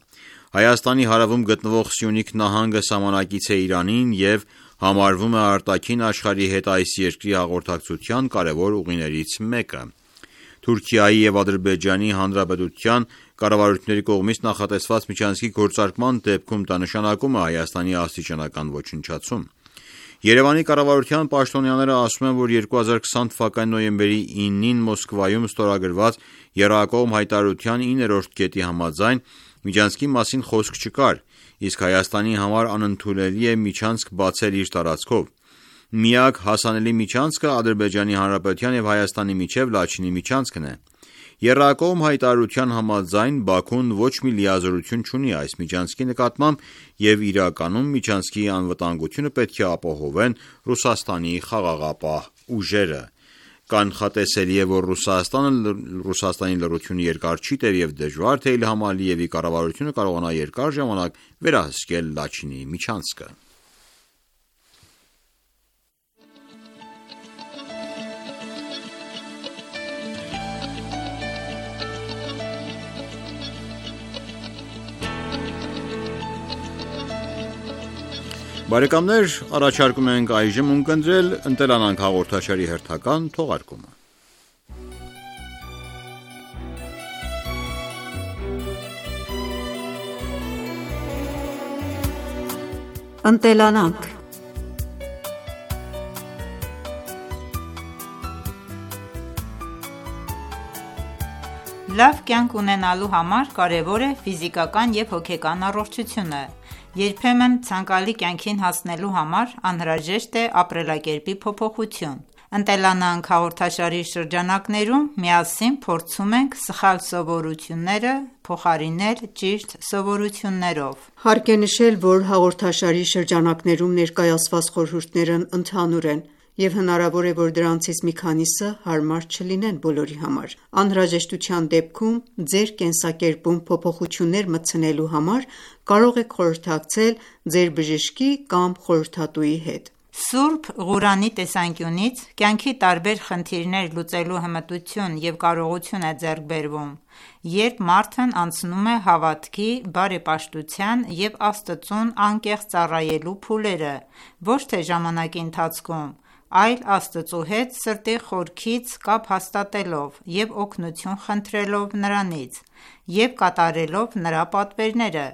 Հայաստանի հարավում գտնվող Սյունիք նահանգը սահմանակից է Իրանին և համարվում է արտաքին աշխարհի հետ այս երկրի հաղորդակցության կարևոր ուղիներից մեկը։ Թուրքիայի և Ադրբեջանի Հանրապետության կառավարությունների կողմից նախատեսված միջանցքի գործարկման դեպքում դա նշանակում է Հայաստանի աստիճանական ոչնչացում։ Երևանի կառավարության պաշտոնյաները ասում են, որ երկու հազար քսան թվականի նոյեմբերի իննին Մոսկվայում ստորագրված եռակողմ հայտարարության իններորդ կետի համաձայն միջանցքի մասին խոսք չկար, իսկ Հայաստանի համար անընդունելի է միջանցք բացել իր տարածքով։ Միակ հասանելի միջանցքը Ադրբեջանի Հանրապետության և Հայաստանի միջև Լաչինի միջանցքն է։ Եռակողմ հայտարարության համաձայն Բաքուն ոչ մի լիազորություն չունի այս միջանցքի նկատմամբ և իրականում միջանցքի անվտանգությունը պետք է ապահովեն Ռուսաստանի խաղաղապահ ուժերը։ Կանխատեսելի է, որ Ռուսաստանը Ռուսաստանի լռությունը երկար չի տև և դժվար թե Իլհամ Ալիևի կառավարությունը կարողանա երկար ժամանակ վերահսկել Լաչինի միջանցքը։ Բարեկամներ, առաջարկում ենք այժմ ունկնդրել «Ընտելանանք» հաղորդաշարի հերթական թողարկումը։ Ընտելանանք Լավ կյանք ունենալու համար կարևոր է ֆիզիկական և հոգեկան առողջությունը։ Երբեմն ցանկալի կյանքին հասնելու համար անհրաժեշտ է ապրելակերպի փոփոխություն։ «Ընտելանանք» հաղորդաշարի շրջանակներում միասին փորձում ենք սխալ սովորությունները փոխարինել ճիշտ սովորություններով։ Հարկ է նշել, որ հաղորդաշարի շրջանակներում ներկայացված խորհուրդներն ընդհանուր են, և հնարավոր է, որ դրանցից մի քանիսը հարմար չլինեն բոլորի համար։ Անհրաժեշտության դեպքում ձեր կենսակերպում փոփոխություններ մտցնելու համար կարող եք խորհրդակցել ձեր բժշկի կամ խորհրդատուի հետ։ Սուրբ Ղուրանի տեսանկյունից կյանքի տարբեր խնդիրներ լուծելու հմտություն և կարողություն է ձեռք բերվում, երբ մարդն անցնում է հավատքի, բարեպաշտության և Աստծուն անկեղծ ծառայելու փուլերը, ոչ թե ժամանակի ընթացքում, այլ Աստծու հետ սրտի խորքից կապ հաստատելով և օգնություն խնդրելով Նրանից և կատարելով Նրա պատվերները։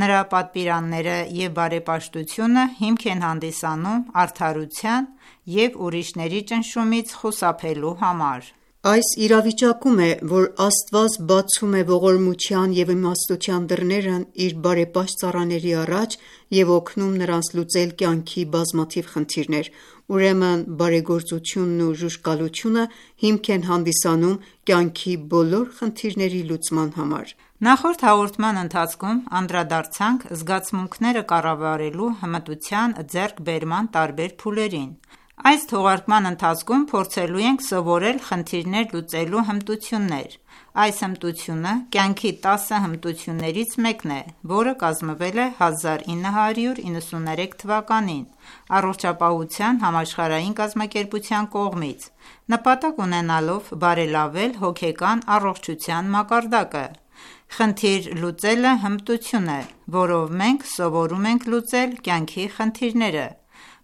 Նրա պատվիրանները և բարեպաշտությունը հիմք են հանդիսանում արդարության և ուրիշների ճնշումից խուսափելու համար։ Այս իրավիճակում է, որ Աստված բացում է ողորմության և իմաստության դռներն իր բարեպաշտ ծառաների առաջ և օգնում նրանց լուծել կյանքի բազմաթիվ խնդիրներ։ Ուրեմն բարեգործությունն ու ժուժկալությունը հիմք են հանդիսանում կյանքի բոլոր խնդիրների լուծման համար։ Նախորդ հաղորդման ընթացքում անդրադարձանք զգացմունքները կառավարելու հմտության ձեռքբերման տարբեր փուլերին։ Այս թողարկման ընթացքում փորձելու ենք սովորել խնդիրներ լուծելու հմտություններ։ Այս հմտությունը կյանքի տասը հմտություններից մեկն է, որը կազմվել է հազար ինը հարյուր իննսուններեք թվականին Առողջապահության համաշխարհային կազմակերպության կողմից՝ նպատակ ունենալով բարելավել հոգեկան առողջության մակարդակը։ Խնդիր լուծելը հմտություն է, որով մենք սովորում ենք լուծել կյանքի խնդիրները։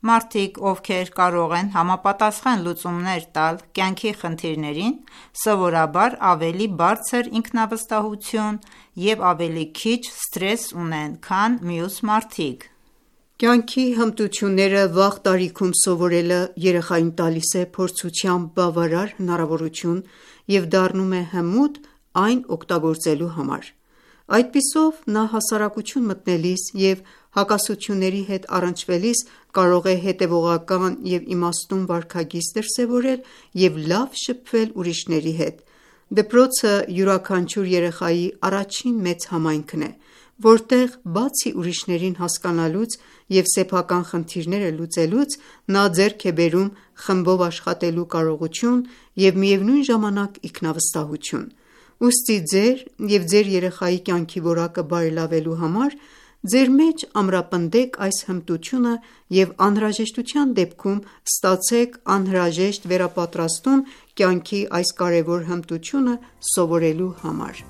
Մարդիկ, ովքեր կարող են համապատասխան լուծումներ տալ կյանքի խնդիրներին, սովորաբար ավելի բարձր ինքնավստահություն և ավելի քիչ սթրես ունեն, քան մյուս մարդիկ։ Կյանքի հմտությունները վաղ տարիքում սովորելը երեխային տալիս է փորձության բավարար հնարավորություն և դառնում է հմուտ այն օգտագործելու համար։ Այդպիսով, նա հասարակություն մտնելիս և հակասությունների հետ առնչվելիս կարող է հետևողական և իմաստուն վարքագիծ դրսևորել և լավ շփվել ուրիշների հետ։ Դպրոցը յուրաքանչյուր երեխայի առաջին մեծ համայնքն է, որտեղ բացի ուրիշներին հասկանալուց և սեփական խնդիրները լուծելուց, նա ձեռք է բերում խմբով աշխատելու կարողություն և միևնույն ժամանակ ինքնավստահություն։ Ուստի ձեր և ձեր երեխայի կյանքի որակը բարելավելու համար ձեր մեջ ամրապնդեք այս հմտությունը և անհրաժեշտության դեպքում ստացեք անհրաժեշտ վերապատրաստում կյանքի այս կարևոր հմտությունը սովորելու համար։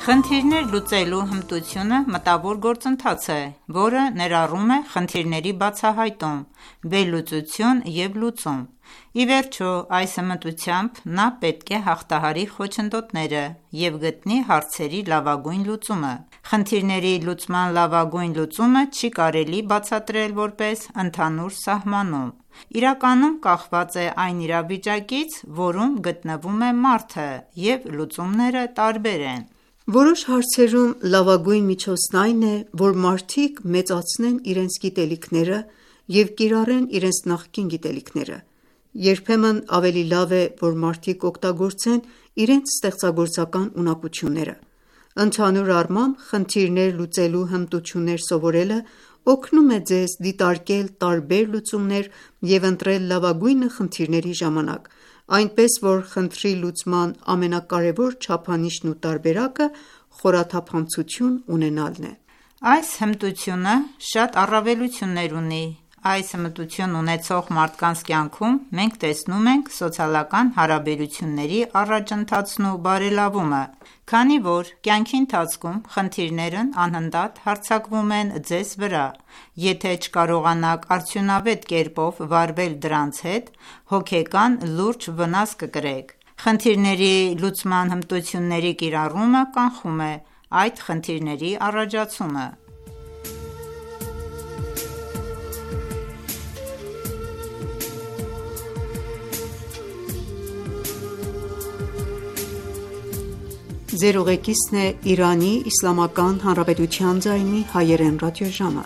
Խնդիրներ լուծելու հմտությունը մտավոր գործընթաց է, որը ներառում է խնդիրների բացահայտում, վերլուծություն և լուծում։ Ի վերջո, այս հմտությամբ նա պետք է հաղթահարի խոչընդոտները և գտնի հարցերի լավագույն լուծումը։ Խնդիրների լուծման լավագույն լուծումը չի կարելի բացատրել որպես ընդհանուր սահմանում։ Իրականում կախված է այն իրավիճակից, որում գտնվում է մարդը, և լուծումները տարբեր են։ Որոշ հարցերում լավագույն միջոցն այն է, որ մարդիկ մեծացնեն իրենց գիտելիքները և կիրառեն իրենց նախկին գիտելիքները։ Երբեմն ավելի լավ է, որ մարդիկ օգտագործեն իրենց ստեղծագործական ունակությունները։ Ընդհանուր առմամբ, խնդիրներ լուծելու հմտություններ սովորելը օգնում է ձեզ դիտարկել տարբեր լուծումներ և ընտրել լավագույնը խնդիրների ժամանակ, այնպես որ խնդրի լուծման ամենակարևոր չափանիշն ու տարբերակը խորաթափանցություն ունենալն է։ Այս հմտությունը շատ առավելություններ ունի։ Այս հմտություն ունեցող մարդկանց կյանքում մենք տեսնում ենք սոցիալական հարաբերությունների առաջընթացն ու բարելավումը, քանի որ կյանքի ընթացքում խնդիրներն անընդհատ հարձակվում են ձեզ վրա։ Եթե չկարողանաք արդյունավետ կերպով վարվել դրանց հետ, հոգեկան լուրջ վնաս կկրեք։ Խնդիրների լուծման հմտությունների կիրառումը կանխում է այդ խնդիրների առաջացումը։ Ձեր ուղեկիցն է Իրանի Իսլամական Հանրապետության ձայնի հայերեն ռադիոժամը։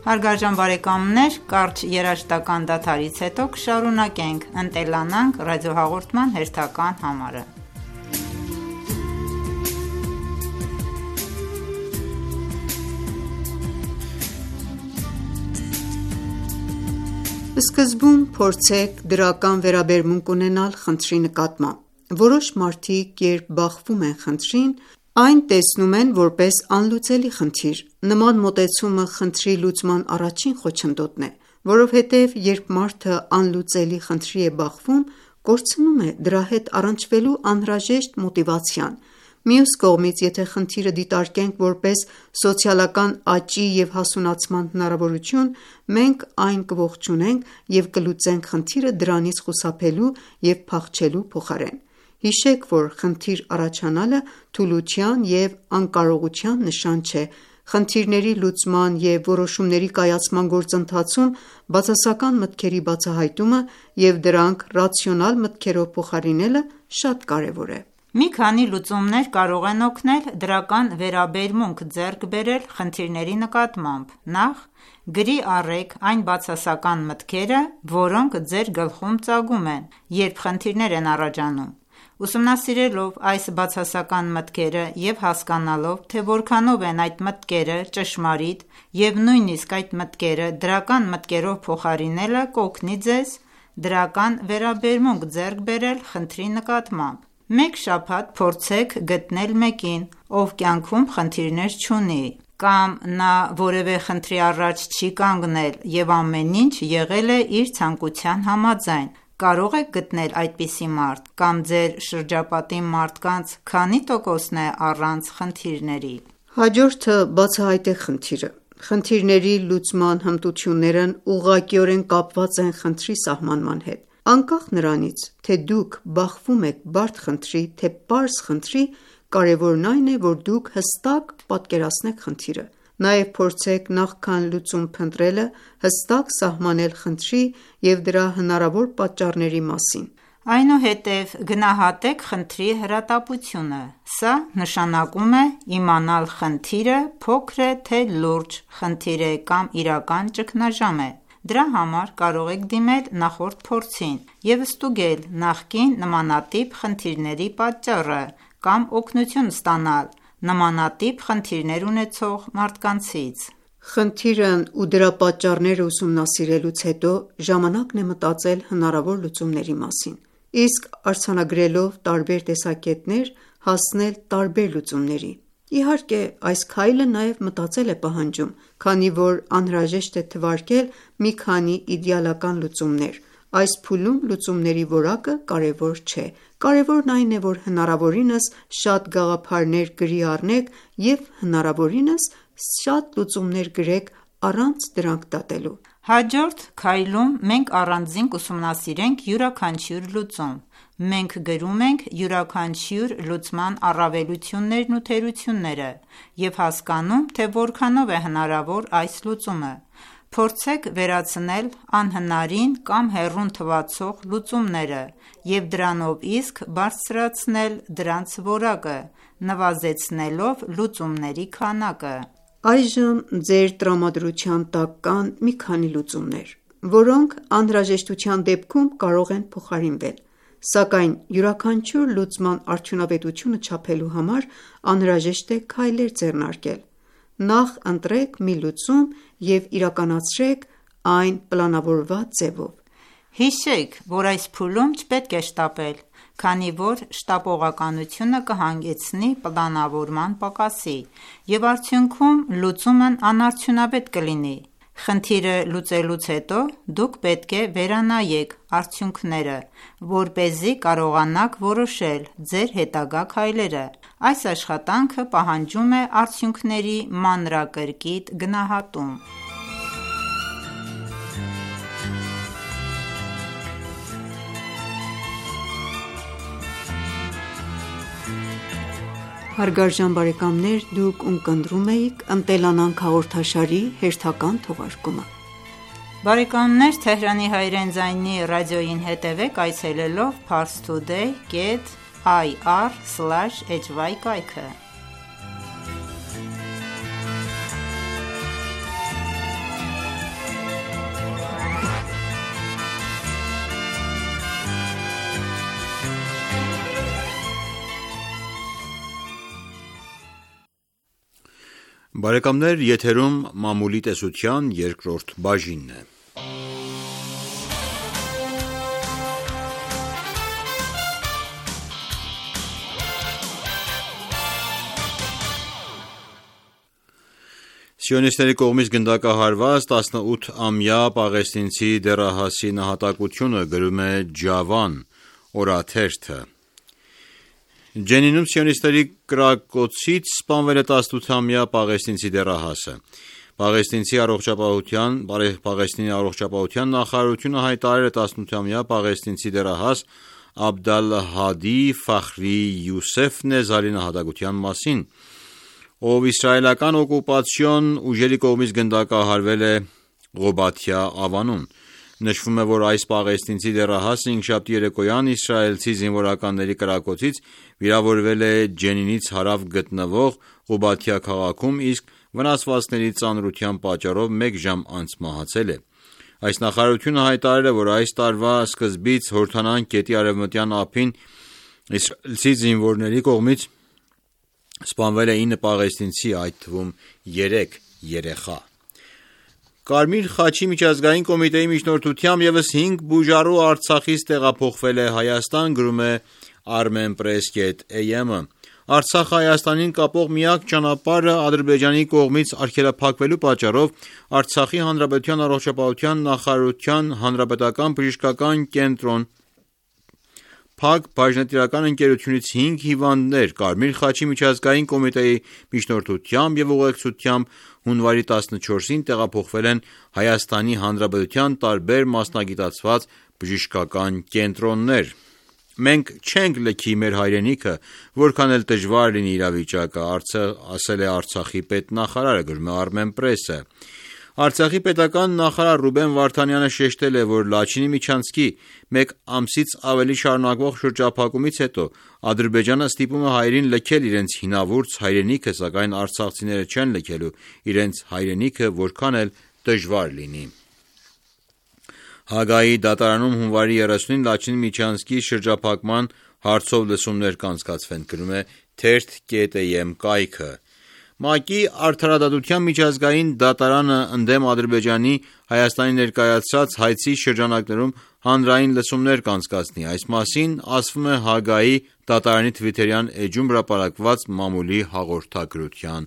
Հարգարժան բարեկամներ, կարճ երաժշտական դադարից հետո կշարունակենք «Ընտելանանք» ռադիոհաղորդման հերթական համարը։ Սկզբում փորձեք դրական վերաբերմունք ունենալ խնդրի նկատմամբ։ Որոշ մարդիկ, երբ բախվում են խնդրին, այն տեսնում են որպես անլուծելի խնդիր։ Նման մոտեցումը խնդրի լուծման առաջին խոչընդոտն է, որովհետև երբ մարդը անլուծելի խնդրի է բախվում, կորցնում է դրա հետ առնչվելու անհրաժեշտ մոտիվացիան։ Մյուս կողմից, եթե խնդիրը դիտարկենք որպես սոցիալական աճի և հասունացման հնարավորություն, մենք այն կողջունենք և կլուծենք խնդիրը դրանից խուսափելու և փախչելու փոխարեն։ Հիշեք, որ խնդիր առաջանալը թուլության և անկարողության նշան չէ։ Խնդիրների լուծման և որոշումների կայացման գործընթացում բացասական մտքերի բացահայտումը և դրանք ռացիոնալ մտքերով փոխարինելը շատ կարևոր է։ Մի քանի լուծումներ կարող են օգնել դրական վերաբերմունք ձեռք բերել խնդիրների նկատմամբ։ Նախ, գրի առեք այն բացասական մտքերը, որոնք ձեր գլխում ծագում են, երբ խնդիրներ են առաջանում։ Ուսումնասիրելով այս բացասական մտքերը և հասկանալով, թե որքանով են այդ մտքերը ճշմարիտ և նույնիսկ այդ մտքերը դրական մտքերով փոխարինելը կօգնի ձեզ դրական վերաբերմունք ձեռք բերել խնդրի նկատմամբ: Մեկ շաբաթ փորձեք գտնել մեկին, ով կյանքում խնդիրներ չունի, կամ նա որևէ խնդրի առաջ չի կանգնել և ամեն ինչ եղել է իր ցանկության համաձայն: Կարո՞ղ եք գտնել այդպիսի մարդ, կամ ձեր շրջապատի մարդկանց քանի տոկոսն է առանց խնդիրների: Հաջորդը բացահայտեք խնդիրը: Խնդիրների լուծման հմտություններն ուղղակիորեն կապված են խնդրի սահմանման հետ: Անկախ նրանից, թե դուք բախվում եք բարդ խնդրի, թե պարզ խնդրի, կարևորն այն է, որ դուք հստակ պատկերացնեք խնդիրը: Նաև փորձեք նախքան լուծում փնտրելը, հստակ սահմանել խնդրի և դրա հնարավոր պատճառների մասին: Այնուհետև գնահատեք խնդրի հրատապությունը: Սա նշանակում է իմանալ խնդիրը փոքր է թե լուրջ խնդիր է կամ իրական ճգնաժամ է: Դրա համար կարող եք դիմել նախորդ փորձին և ստուգել նախկին նմանատիպ խնդիրների պատճառը կամ օգնություն ստանալ նմանատիպ խնդիրներ ունեցող մարդկանցից: Խնդիրն ու դրա պատճառները ուսումնասիրելուց հետո ժամանակն է մտածել հնարավոր լուծումների մասին: Իսկ արձանագրելով տարբեր տեսակետներ, հասնել տարբեր լուծումների: Իհարկե, այս քայլը նաև մտածել է պահանջում, քանի որ անհրաժեշտ է թվարկել մի քանի իդեալական լուծումներ: Այս փուլում լուծումների որակը կարևոր չէ: Կարևորն այն է, որ հնարավորինս շատ գաղափարներ գրի առնեք և հնարավորինս շատ լուծումներ գրեք առանց դրանք դատելու: Հաջորդ քայլում մենք առանձին կուսումնասիրենք յուրաքանչյուր լուծում: Մենք գրում ենք յուրաքանչյուր լուծման առավելություններն ու թերությունները և հասկանում, թե որքանով է հնարավոր այս լուծումը: Փորձեք վերացնել անհնարին կամ հեռուն թվացող լուծումները և դրանով իսկ բարձրացնել դրանց որակը, նվազեցնելով լուծումների քանակը: Այժմ ձեր տրամադրության տակ կան մի քանի լուծումներ, որոնք անհրաժեշտության դեպքում կարող են փոխարինվել: Սակայն յուրաքանչյուր լուծման արդյունավետությունը չափելու համար անհրաժեշտ է քայլեր ձեռնարկել: Նախ ընտրեք մի լուծում և իրականացրեք այն պլանավորված ձևով: Հիշեք, որ այս փուլում չպետք է շտապել, քանի որ շտապողականությունը կհանգեցնի պլանավորման պակասի և արդյունքում լուծումն անարդյունավետ կլինի: Խնդիրը լուծելուց հետո դուք պետք է վերանայեք արդյունքները, որպեսզի կարողանաք որոշել ձեր հետագա քայլերը: Այս աշխատանքը պահանջում է արդյունքների մանրակրկիտ գնահատում: Բարեկամներ, եթերում մամուլի տեսության երկրորդ բաժինն է: Սիոնիստների կողմից գնդակահարված տասնութամյա պաղեստինցի դեռահասի նահատակությունը, գրում է Ջավան օրաթերթը: Ջենինում սիոնիստների կրակոցից սպանվել է տասնութամյա պաղեստինցի դեռահասը: Պաղեստինի առողջապահության նախարարությունը հայտարարել է տասնութամյա պաղեստինցի դեռահաս Աբդալհադի Ֆախրի Յուսեֆ Նեզարի նահատակության մասին, ով իսրայելական օկուպացիոն ուժերի կողմից գնդակահարվել է Ղոբաթյա Ավանում: Նշվում է, որ այս պաղեստինցի դեռահասը հինգշաբթի երեկոյան իսրայելցի զինվորականների կրակոցից վիրավորվել է Ջենինից հարավ գտնվող Ղուբաթիա քաղաքում, իսկ վնասվածքների ծանրության պատճառով մեկ ժամ անց մահացել է: Այս նախարարությունը հայտարարել է, որ այս տարվա սկզբից Հորդանան գետի արևմտյան ափին իսրայելցի զինվորների կողմից սպանվել է ինը պաղեստինցի, այդ թվում երեք երեխա: Կարմիր խաչի միջազգային կոմիտեի միջնորդությամբ ևս հինգ բուժառու Արցախից տեղափոխվել է Հայաստան, գրում է armenpress dot am-ը: Արցախը Հայաստանին կապող միակ ճանապարհը Ադրբեջանի կողմից արգելափակվելու պատճառով Արցախի հանրապետության առողջապահության նախարարության հանրապետական բժշկական կենտրոն Փակ բաժնետիրական ընկերությունից հինգ հիվանդներ Կարմիր խաչի միջազգային կոմիտեի միջնորդությամբ և ուղեկցությամբ հունվարի տասնչորսին տեղափոխվել են Հայաստանի Հանրապետության տարբեր մասնագիտացված բժշկական կենտրոններ: Մենք չենք լքի մեր հայրենիքը, որքան էլ դժվար լինի իրավիճակը, ասել է Արցախի պետնախարարը, գրում է Armenpress-ը: Արցախի պետական նախարար Ռուբեն Վարդանյանը շեշտել է, որ Լաչինի միջանցքի մեկ ամսից ավելի շարունակվող շրջափակումից հետո Ադրբեջանը ստիպում է հայերին լքել իրենց հինավուրց հայրենիքը, սակայն արցախցիները չեն լքելու իրենց հայրենիքը, որքան էլ դժվար լինի: Հաագայի դատարանում հունվարի երեսունին Լաչինի միջանցքի շրջափակման հարցով լսումներ կանցկացվեն, գրում է թերթ կետ am կայքը: ՄԱԿ-ի Արդարադատության միջազգային դատարանը ընդդեմ Ադրբեջանի Հայաստանի ներկայացրած հայցի շրջանակներում հանրային լսումներ կանցկացնի: Այս մասին ասվում է Հաագայի դատարանի թվիթերյան էջում հրապարակված մամուլի հաղորդագրության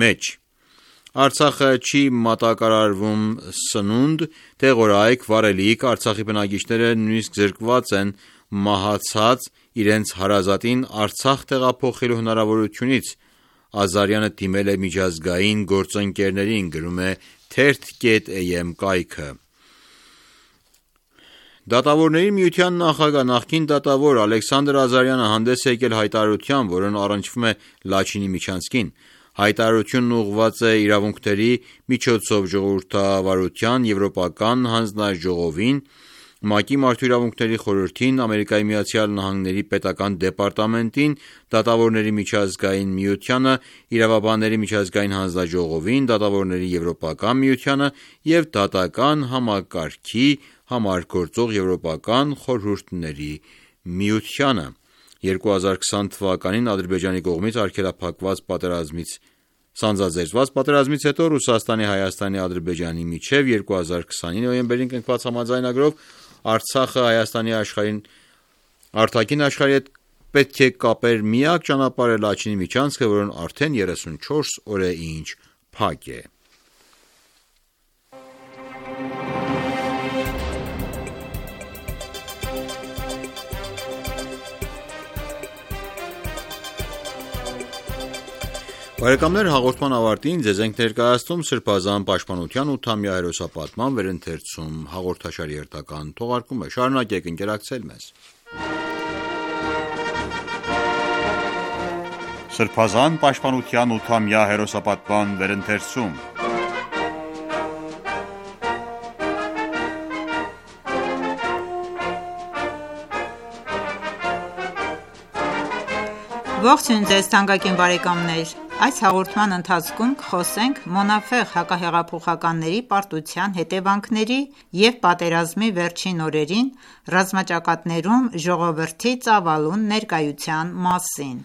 մեջ: Արցախը չի մատակարարվում սնունդ, դեղորայք, վառելիք, Արցախի բնակիչները նույնիսկ զրկված են մահացած իրենց հարազատին Արցախ տեղափոխելու հնարավորությունից: Ազարյանը դիմել է միջազգային գործընկերներին, գրում է թերթ կետ am կայքը: Դատավորների միության նախագահ, նախկին դատավոր Ալեքսանդր Ազարյանը հանդես է եկել հայտարարությամբ, որն առնչվում է Լաչինի միջանցքին: Հայտարարությունն ուղղված է իրավունքների միջոցով ժողովրդավարության եվրոպական հանձնաժողովին, ՄԱԿ-ի Մարդու իրավունքների խորհրդին, ԱՄՆ պետական դեպարտամենտին, Դատավորների միջազգային միությանը, Իրավաբանների միջազգային հանձնաժողովին, Դատավորների եվրոպական միությանը և Դատական համակարգի համար գործող եվրոպական խորհուրդների միությանը: երկու հազար քսան թվականին Ադրբեջանի կողմից արգելափակված պատերազմից սանձազերծված պատերազմից հետո Ռուսաստանի, Հայաստանի, Ադրբեջանի միջև երկու հազար քսանի նոյեմբերին կնքված համաձայնագրով Արցախը Հայաստանի արտաքին աշխարհի հետ պետք է կապեր միակ ճանապարհը Լաչինի միջանցքը, որն արդեն երեսունչորս օր է ինչ փակ է: Հաղորդման ավարտին ձեզ ենք ներկայացնում Սրբազան պաշտպանության ութամյա հերոսապատման վերընթերցում հաղորդաշարի հերթական թողարկումը: Շարունակեք ընկերակցել մեզ: Սրբազան պաշտպանության ութամյա հերոսապատման վերընթերցում Ողջույն ձեզ թանկագին բարեկամներ: Այս հաղորդման ընթացքում կխոսենք Մոնաֆեղ հակահեղափոխականների պարտության հետևանքների և պատերազմի վերջին օրերին ռազմաճակատներում ժողովրդի ծավալուն ներկայության մասին: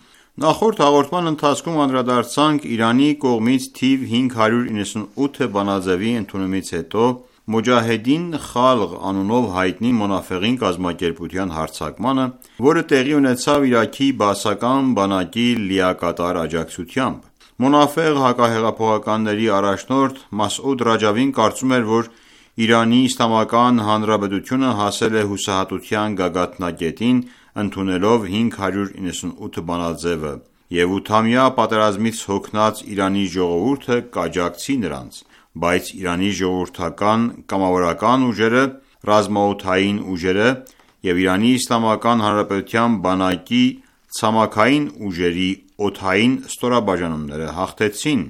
Նախորդ հաղորդման ընթացքում անդրադարձանք Իրանի կողմից թիվ հինգ հարյուր իննսունութ բանաձեւի ընդունումից հետո Մոջահեդին Խալղ անունով հայտնի Մոնաֆեղին կազմակերպության հարձակմանը, որը տեղի ունեցավ Իրաքի բաասական բանակի լիակատար աջակցությամբ: Մոնաֆեղ հակահեղափոխականների առաջնորդ Մասուդ Ռաջավին կարծում էր, որ Իրանի Իսլամական Հանրապետությունը հասել է հուսահատության գագաթնակետին ընդունելով հինգ հարյուր իննսունութ բանաձեւը և ութամյա պատերազմից հոգնած Իրանի ժողովուրդը կաջակցի նրանց: Բայց Իրանի ժողովրդական կամավորական ուժերը, ռազմաօդային ուժերը և Իրանի Իսլամական Հանրապետության բանակի ցամաքային ուժերի օդային ստորաբաժանումները հաղթեցին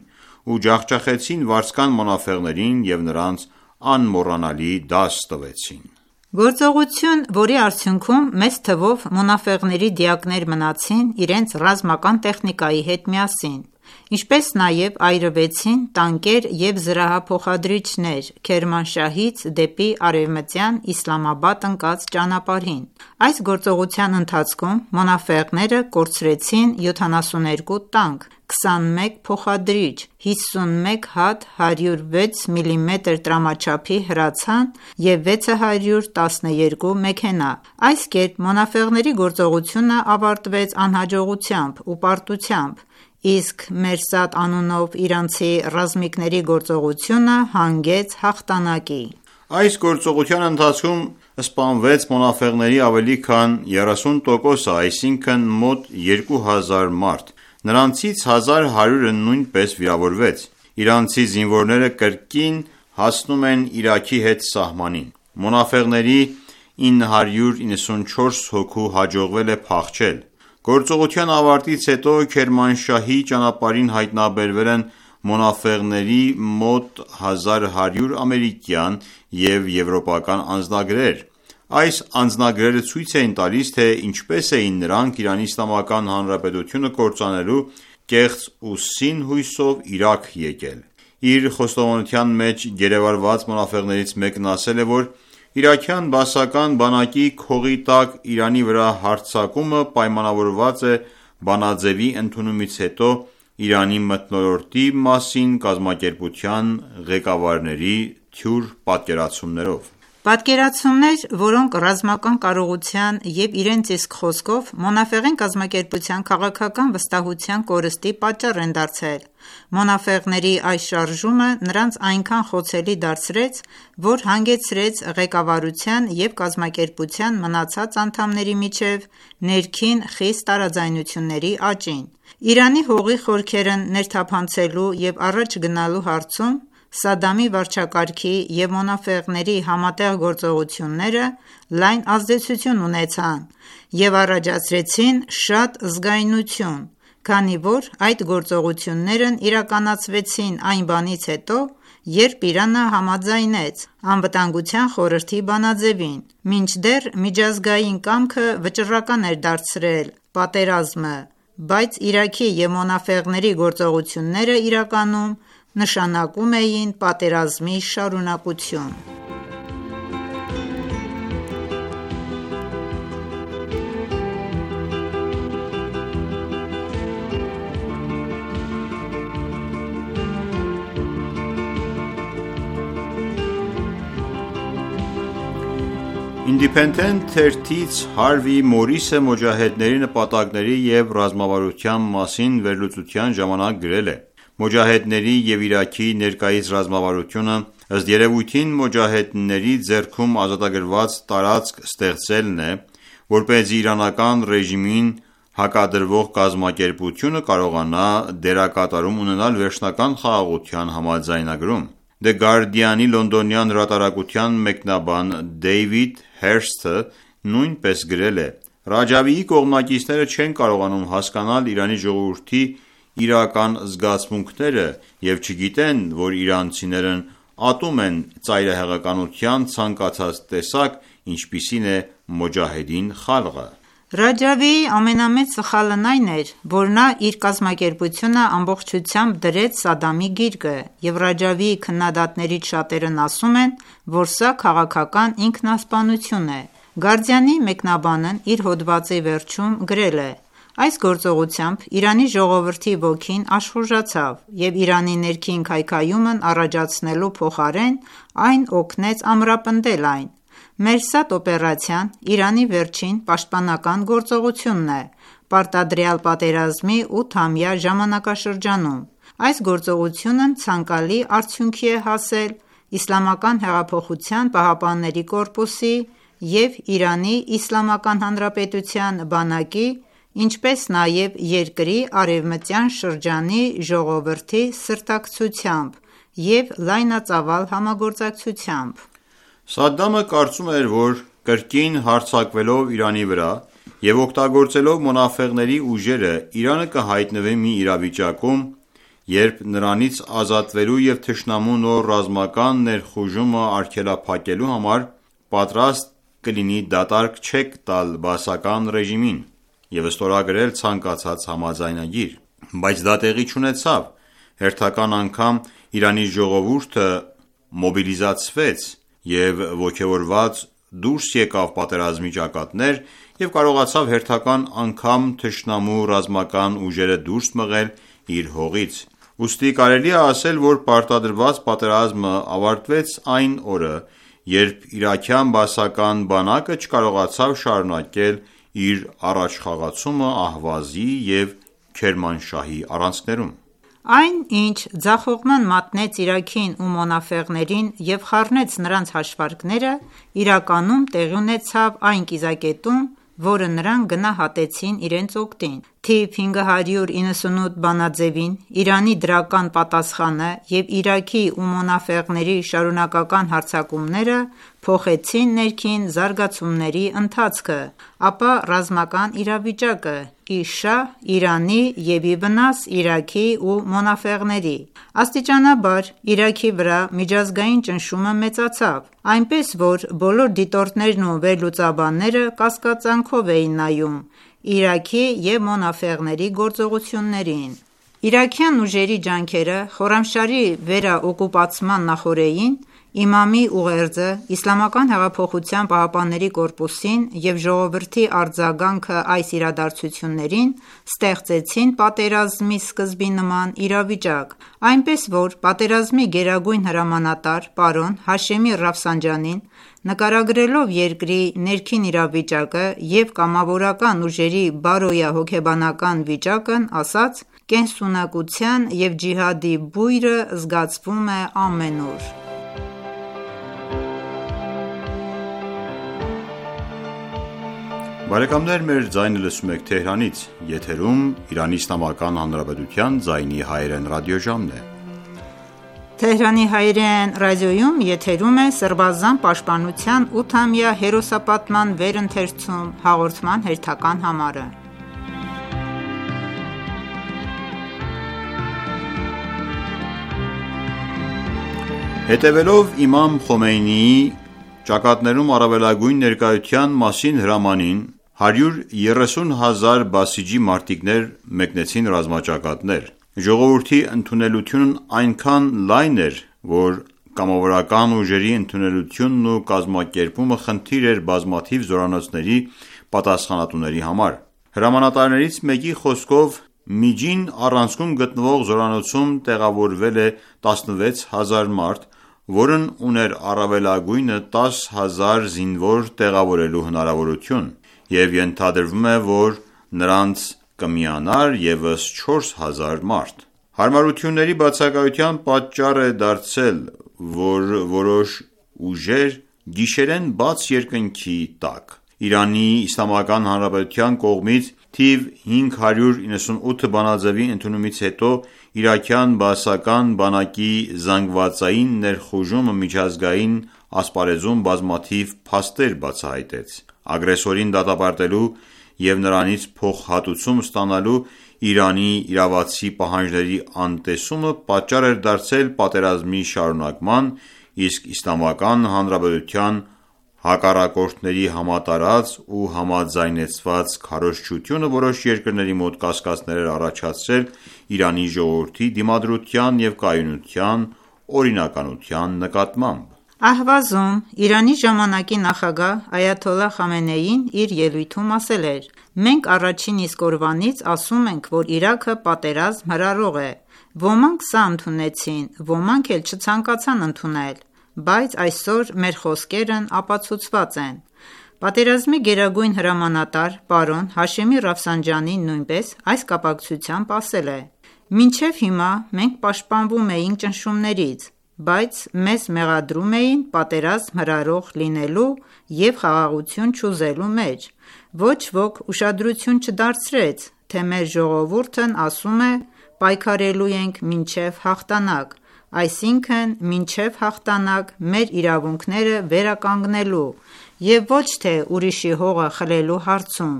ու ջախջախեցին վարձկան մոնաֆեղներին և նրանց անմոռանալի դաս տվեցին: Գործողություն, որի արդյունքում մեծ թվով մոնաֆեղների դիակներ մնացին իրենց ռազմական տեխնիկայի հետ միասին: Ինչպես նաև այրվեցին տանկեր և զրահափոխադրիչներ Քերմանշահից դեպի արևմտյան Իսլամաբադ ընկած ճանապարհին։ Այս գործողության ընթացքում մոնաֆեղները կորցրեցին յոթանասունութ տանկ, քսանմեկ փոխադրիչ, հիսունմեկ հատ հարյուր վեց միլիմետր տրամաչափի հրացան և վեց հարյուր տասներկու մեքենա։ Այս կերպ մոնաֆեղների գործողությունը ավարտվեց անհաջողությամբ ու պարտությամբ, իսկ Մերսադ անունով իրանցի ռազմիկների գործողությունը հանգեց հաղթանակի։ Այս գործողության ընթացքում սպանվեց մոնաֆեղների ավելի քան երեսուն տոկոսը, այսինքն մոտ երկու հազար մարդ, նրանցից հազար հարյուրը նույնպես վիրավորվեց։ Իրանցի զինվորները կրկին հասնում են Իրաքի հետ սահմանին։ Մոնաֆեղների ինը հարյուր իննսունչորս հոգու հաջողվել է փախչել։ Գործողության ավարտից հետո Քերմանշահի ճանապարհին հայտնաբերվել են մոնաֆեղների մոտ հազար հարյուր ամերիկյան և եվրոպական անձնագրեր։ Այս անձնագրերը ցույց էին տալիս, թե ինչպես էին նրանք ԻԻՀ-ը կործանելու կեղծ ու սին հույսով Իրաք եկել։ Իր խոստովանության մեջ գերեվարված մոնաֆեղներից մեկն ասել է, որ իրաքյան բաասական բանակի քողի տակ Իրանի վրա հարձակումը պայմանավորված է բանաձեւի ընդունումից հետո Իրանի մթնոլորտի մասին կազմակերպության ղեկավարների թյուր պատկերացումներով։ Պատկերացումներ, որոնք ռազմական կարողության և իրենց իսկ խոսքով Մոնաֆեղին կազմակերպության քաղաքական վստահության կորստի պատճառ են դարձել։ Մոնաֆեղների այս շարժումը նրանց այնքան խոցելի դարձրեց, որ հանգեցրեց ղեկավարության և կազմակերպության մնացած անդամների միջև ներքին խիստ տարաձայնությունների աճին։ Իրանի հողի խորքերն ներթափանցելու և առաջ գնալու հարցում Սադամի վարչակարգի և մոնաֆեղների համատեղ գործողությունները լայն ազդեցություն ունեցան և առաջացրեցին շատ զգայունություն, քանի որ այդ գործողություններն իրականացվեցին այն բանից հետո, երբ Իրանը համաձայնեց Անվտանգության խորհրդի բանաձևին, մինչդեռ միջազգային կամքը վճռական էր դարձրել պատերազմը, բայց Իրաքի և մոնաֆեղների գործողությունները իրականում նշանակում էին պատերազմի շարունակություն։ Independent թերթից Հարվի Մորիսը մոջահեդների նպատակների և ռազմավարության մասին վերլուծության ժամանակ գրել է. «Մոջահեդների և Իրաքի ներկայիս ռազմավարությունը ըստ երևույթին մոջահեդների ձեռքում ազատագրված տարածք ստեղծելն է, որպեսզի իրանական ռեժիմին հակադրվող կազմակերպությունը կարողանա դերակատարում ունենալ վերջնական խաղաղության համաձայնագրում»։ The Guardian-ի լոնդոնյան հրատարակության մեկնաբան Դեյվիդ Հերսթը նույնպես գրել է. «Ռաջավիի կողմնակիցները չեն կարողանում հասկանալ Իրանի ժողովրդի իրական զգացմունքները և չգիտեն, որ իրանցիներն ատում են ծայրահեղականության ցանկացած տեսակ, ինչպիսին է Մոջահեդին խալղը»։ Ռաջավիի ամենամեծ սխալն այն էր, որ նա իր կազմակերպությունը ամբողջությամբ դրեց Սադամի գիրկը, և Ռաջավիի քննադատներից շատերն ասում են, որ սա քաղաքական ինքնասպանություն է։ Guardian-ի մեկնաբանն իր հոդվածի վերջում գրել է. «Այս գործողությամբ Իրանի ժողովրդի ոգին աշխուժացավ և Իրանի ներքին քայքայումն առաջացնելու փոխարեն այն օգնեց ամրապնդել այն։ Մերսադ օպերացիան Իրանի վերջին պաշտպանական գործողությունն է պարտադրյալ պատերազմի ութամյա ժամանակաշրջանում։ Այս գործողությունն ցանկալի արդյունքի է հասել Իսլամական հեղափոխության պահապանների կորպուսի և Իրանի Իսլամական Հանրապետության բանակի, ինչպես նաև երկրի արևմտյան շրջանի ժողովրդի սրտակցությամբ և լայնածավալ համագործակցությամբ»։ Սադամը կարծում էր, որ կրկին հարձակվելով Իրանի վրա և օգտագործելով մոնաֆեղների ուժերը, Իրանը կհայտնվի մի իրավիճակում, երբ նրանից ազատվելու և թշնամու նոր ռազմական ներխուժումը արգելափակելու համար պատրաստ կլինի դատարկ չեք տալ բաասական ռեժիմին և ստորագրել ցանկացած համաձայնագիր։ Բայց դա տեղի չունեցավ: Հերթական անգամ Իրանի ժողովուրդը մոբիլիզացվեց և ոգևորված դուրս եկավ պատերազմի ճակատներ և կարողացավ հերթական անգամ թշնամու ռազմական ուժերը դուրս մղել իր հողից: Ուստի կարելի է ասել, որ պարտադրված պատերազմը ավարտվեց այն օրը, երբ իրաքյան բաասական բանակը չկարողացավ շարունակել իր առաջխաղացումը Ահվազի և Քերմանշահի առանցքներում: Այն, ինչ ձախողման մատնեց Իրաքին ու Մոնաֆեղներին և խառնեց նրանց հաշվարկները, իրականում տեղի ունեցավ այն կիզակետում, որը նրանք գնահատեցին իրենց օգտին: Թիվ հինգ հարյուր իննսունութ բանաձևին Իրանի դրական պատասխանը և Իրաքի ու Մոնաֆեղների շարունակական հարձակումները փոխեցին ներքին զարգացումների ընթացքը, ապա ռազմական իրավիճակը, ի շահ Իրանի և ի վնաս Իրաքի ու Մոնաֆեղների: Աստիճանաբար Իրաքի վրա միջազգային ճնշումը մեծացավ, այնպես որ բոլոր դիտորդներն ու վերլուծաբանները կասկածանքով էին նայում Իրաքի և Մոնաֆեղների գործողություններին: Իրաքյան ուժերի ջանքերը Խորամշահրի վերաօկուպացման նախօրեին Իմամի ուղերձը ԻՀՊԿ-ին և ժողովրդի արձագանքը այս իրադարձություններին ստեղծեցին պատերազմի սկզբի նման իրավիճակ, այնպես որ պատերազմի գերագույն հրամանատար պարոն Հաշեմի Ռաֆսանջանին նկարագրելով երկրի ներքին իրավիճակը և կամավորական ուժերի բարոյահոգեբանական վիճակն ասաց. «Կենսունակության և ջիհադի բույրը զգացվում է ամենուր»: Հետևելով իմամ Խոմեյնիի «Ճակատներում առավելագույն ներկայության» մասին հրամանին, հարյուր երեսուն հազար բասիջի մարտիկներ մեկնեցին ռազմաճակատներ: Ժողովրդի ընդունելությունն այնքան լայն էր, որ կամավորական ուժերի ընդունելությունն ու կազմակերպումը խնդիր էր բազմաթիվ զորանոցների պատասխանատուների համար: Հրամանատարներից մեկի խոսքով միջին առանցքում գտնվող զորանոցում տեղավորվել է տասնվեց հազար մարդ, որն ուներ առավելագույնը տասը հազար զինվոր տեղավորելու հնարավորություն և ենթադրվում է, որ նրանց կմիանար ևս չորս հազար մարդ: Հարմարությունների բացակայության պատճառ է դարձել, որ որոշ ուժեր գիշերեն բաց երկնքի տակ ԻԻՀ կողմից թիվ հինգ հարյուր իննսունութ բանաձևի ընդունումից հետո իրաքյան բաասական բանակի զանգվածային ներխուժումը միջազգային ասպարեզում բազմաթիվ փաստեր բացահայտեց: Ագրեսորին դատապարտելու և նրանից փոխհատուցում ստանալու Իրանի իրավացի պահանջների անտեսումը պատճառ էր դարձել պատերազմի շարունակման, իսկ Իսլամական Հանրապետության հակառակորդների համատարած ու համաձայնեցված քարոզչությունը որոշ երկրների մոտ կասկածներ էր առաջացրել Իրանի ժողովրդի դիմադրության և կայունության օրինականության նկատմամբ: Ահվազում Իրանի ժամանակի նախագահ Այաթոլլահ Խամենեին իր ելույթում ասել էր. «Մենք առաջին իսկ օրվանից ասում ենք, որ Իրաքը պատերազմ հրահրող է: Ոմանք սա ընդունեցին, ոմանք էլ չցանկացան ընդունել, բայց այսօր մեր խոսքերն ապացուցված են»: Պատերազմի գերագույն հրամանատար պարոն Հաշեմի Ռաֆսանջանին նույնպես այս կապակցությամբ ասել է. «Մինչև հիմա մենք պաշտպանվում էինք ճնշումներից, բայց մեզ մեղադրում էին պատերազմ հրահրող լինելու և խաղաղություն չուզելու մեջ: Ոչ ոք ուշադրություն չդարձրեց, թե մեր ժողովուրդն ասում է պայքարելու ենք մինչև հաղթանակ, այսինքն մինչև հաղթանակ մեր իրավունքները վերականգնելու և ոչ թե ուրիշի հողը խլելու հարցում: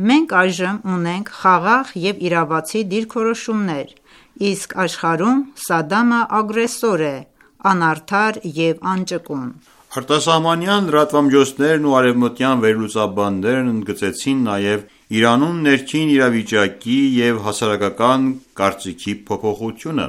Մենք այժմ ունենք խաղաղ և իրավացի դիրքորոշումներ, իսկ աշխարհում Սադամը ագրեսոր է, անարդար և անճկուն»: Արտասահմանյան լրատվամիջոցներն ու արևմտյան վերլուծաբաններն ընդգծեցին նաև Իրանում ներքին իրավիճակի և հասարակական կարծիքի փոփոխությունը։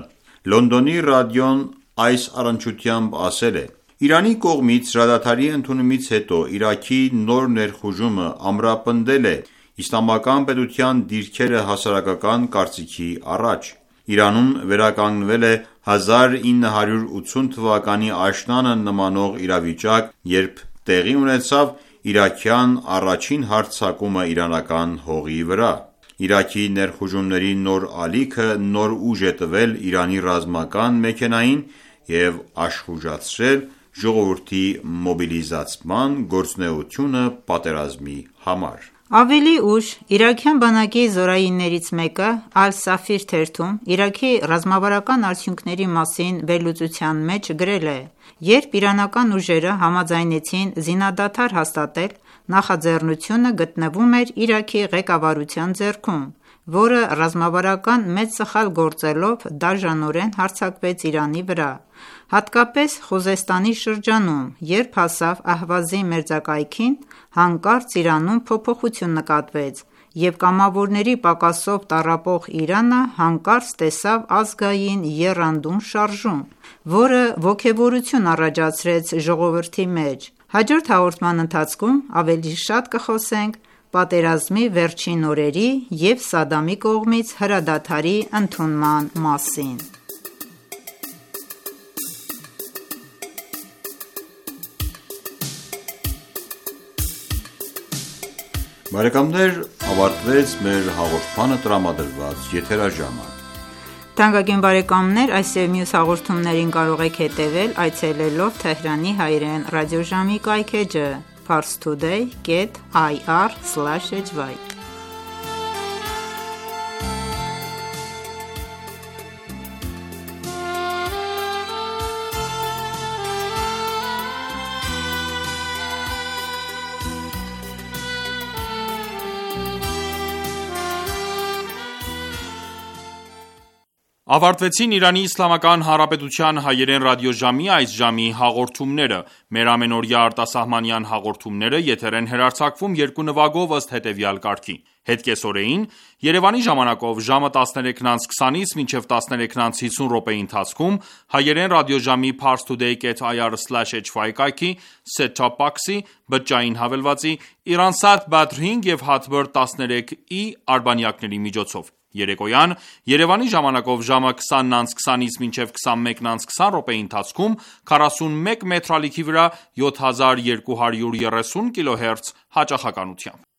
Լոնդոնի ռադիոն այս առնչությամբ ասել է. «Իրանի կողմից հրադադարի ընդունումից հետո Իրաքի նոր ներխուժումը ամրապնդել է իսլամական պետության դիրքերը հասարակական կարծիքի առաջ։ Իրանում վերականգնվել է հազար ինը հարյուր ութսուն թվականի աշնանը նմանող իրավիճակ, երբ տեղի ունեցավ իրաքյան առաջին հարձակումը իրանական հողի վրա։ Իրաքի ներխուժումների նոր ալիքը նոր ուժ է տվել Իրանի ռազմական մեքենային և աշխուժացրել ժողովրդի մոբիլիզացման գործունեությունը պատերազմի համար»։ Ավելի ուշ իրաքյան բանակի զորայիններից մեկը Ալ-Սաֆիր թերթում Իրաքի ռազմավարական արդյունքների մասին վերլուծության մեջ գրել է. «Երբ իրանական ուժերը համաձայնեցին զինադադար հաստատել, նախաձեռնությունը գտնվում էր Իրաքի ղեկավարության ձեռքում, որը ռազմավարական մեծ սխալ գործելով դաժանորեն հարձակվեց Իրանի վրա, հատկապես Խուզեստանի շրջանում, երբ հասավ Ահվազի մերձակայքին, հանկարծ Իրանում փոփոխություն նկատվեց, և կամավորների պակասով տառապող Իրանը հանկարծ տեսավ ազգային եռանդուն շարժում, որը ոգևորություն առաջացրեց ժողովրդի մեջ։ Հաջորդ հաղորդման ընթացքում ավելի շատ կխոսենք պատերազմի վերջին օրերի և Սադամի կողմից հրադադարի ընդունման մասին»։ Բարեկամներ, ավարտվեց մեր հաղորդմանը տրամադրված եթերաժամը։ Թանկագին բարեկամներ, այս և մյուս հաղորդումներին կարող եք հետևել այցելելով Թեհրանի հայրեն ռադիոժամի կայքէջը parstoday dot ir slash h y Ավարտվեցին Իրանի Իսլամական Հանրապետության հայերեն ռադիոժամի այս ժամի հաղորդումները։ Մեր ամենօրյա արտասահմանյան հաղորդումները եթեր են հեռարձակվում երկու նվագով ըստ հետևյալ կարգի. Հետկեսօրեին Երևանի ժամանակով ժամը տասներեքն անց քսանից մինչև տասներեքն անց հիսուն րոպեի ընթացքում հայերեն ռադիոժամի parstoday dot ir slash h y կայքի set-top box-ի, բջջային հավելվածի, Iran-Sat Badr հինգ և Hotbird տասներեք i արբանյակների միջոցով։ Երեկոյան Երևանի ժամանակով ժամը քսանն անց քսանից մինչև քսանմեկն անց քսան րոպեի ընթացքում քառասունմեկ մետրալիքի վրա յոթ հազար երկու հարյուր երեսուն կիլոհերց հաճախականությամբ։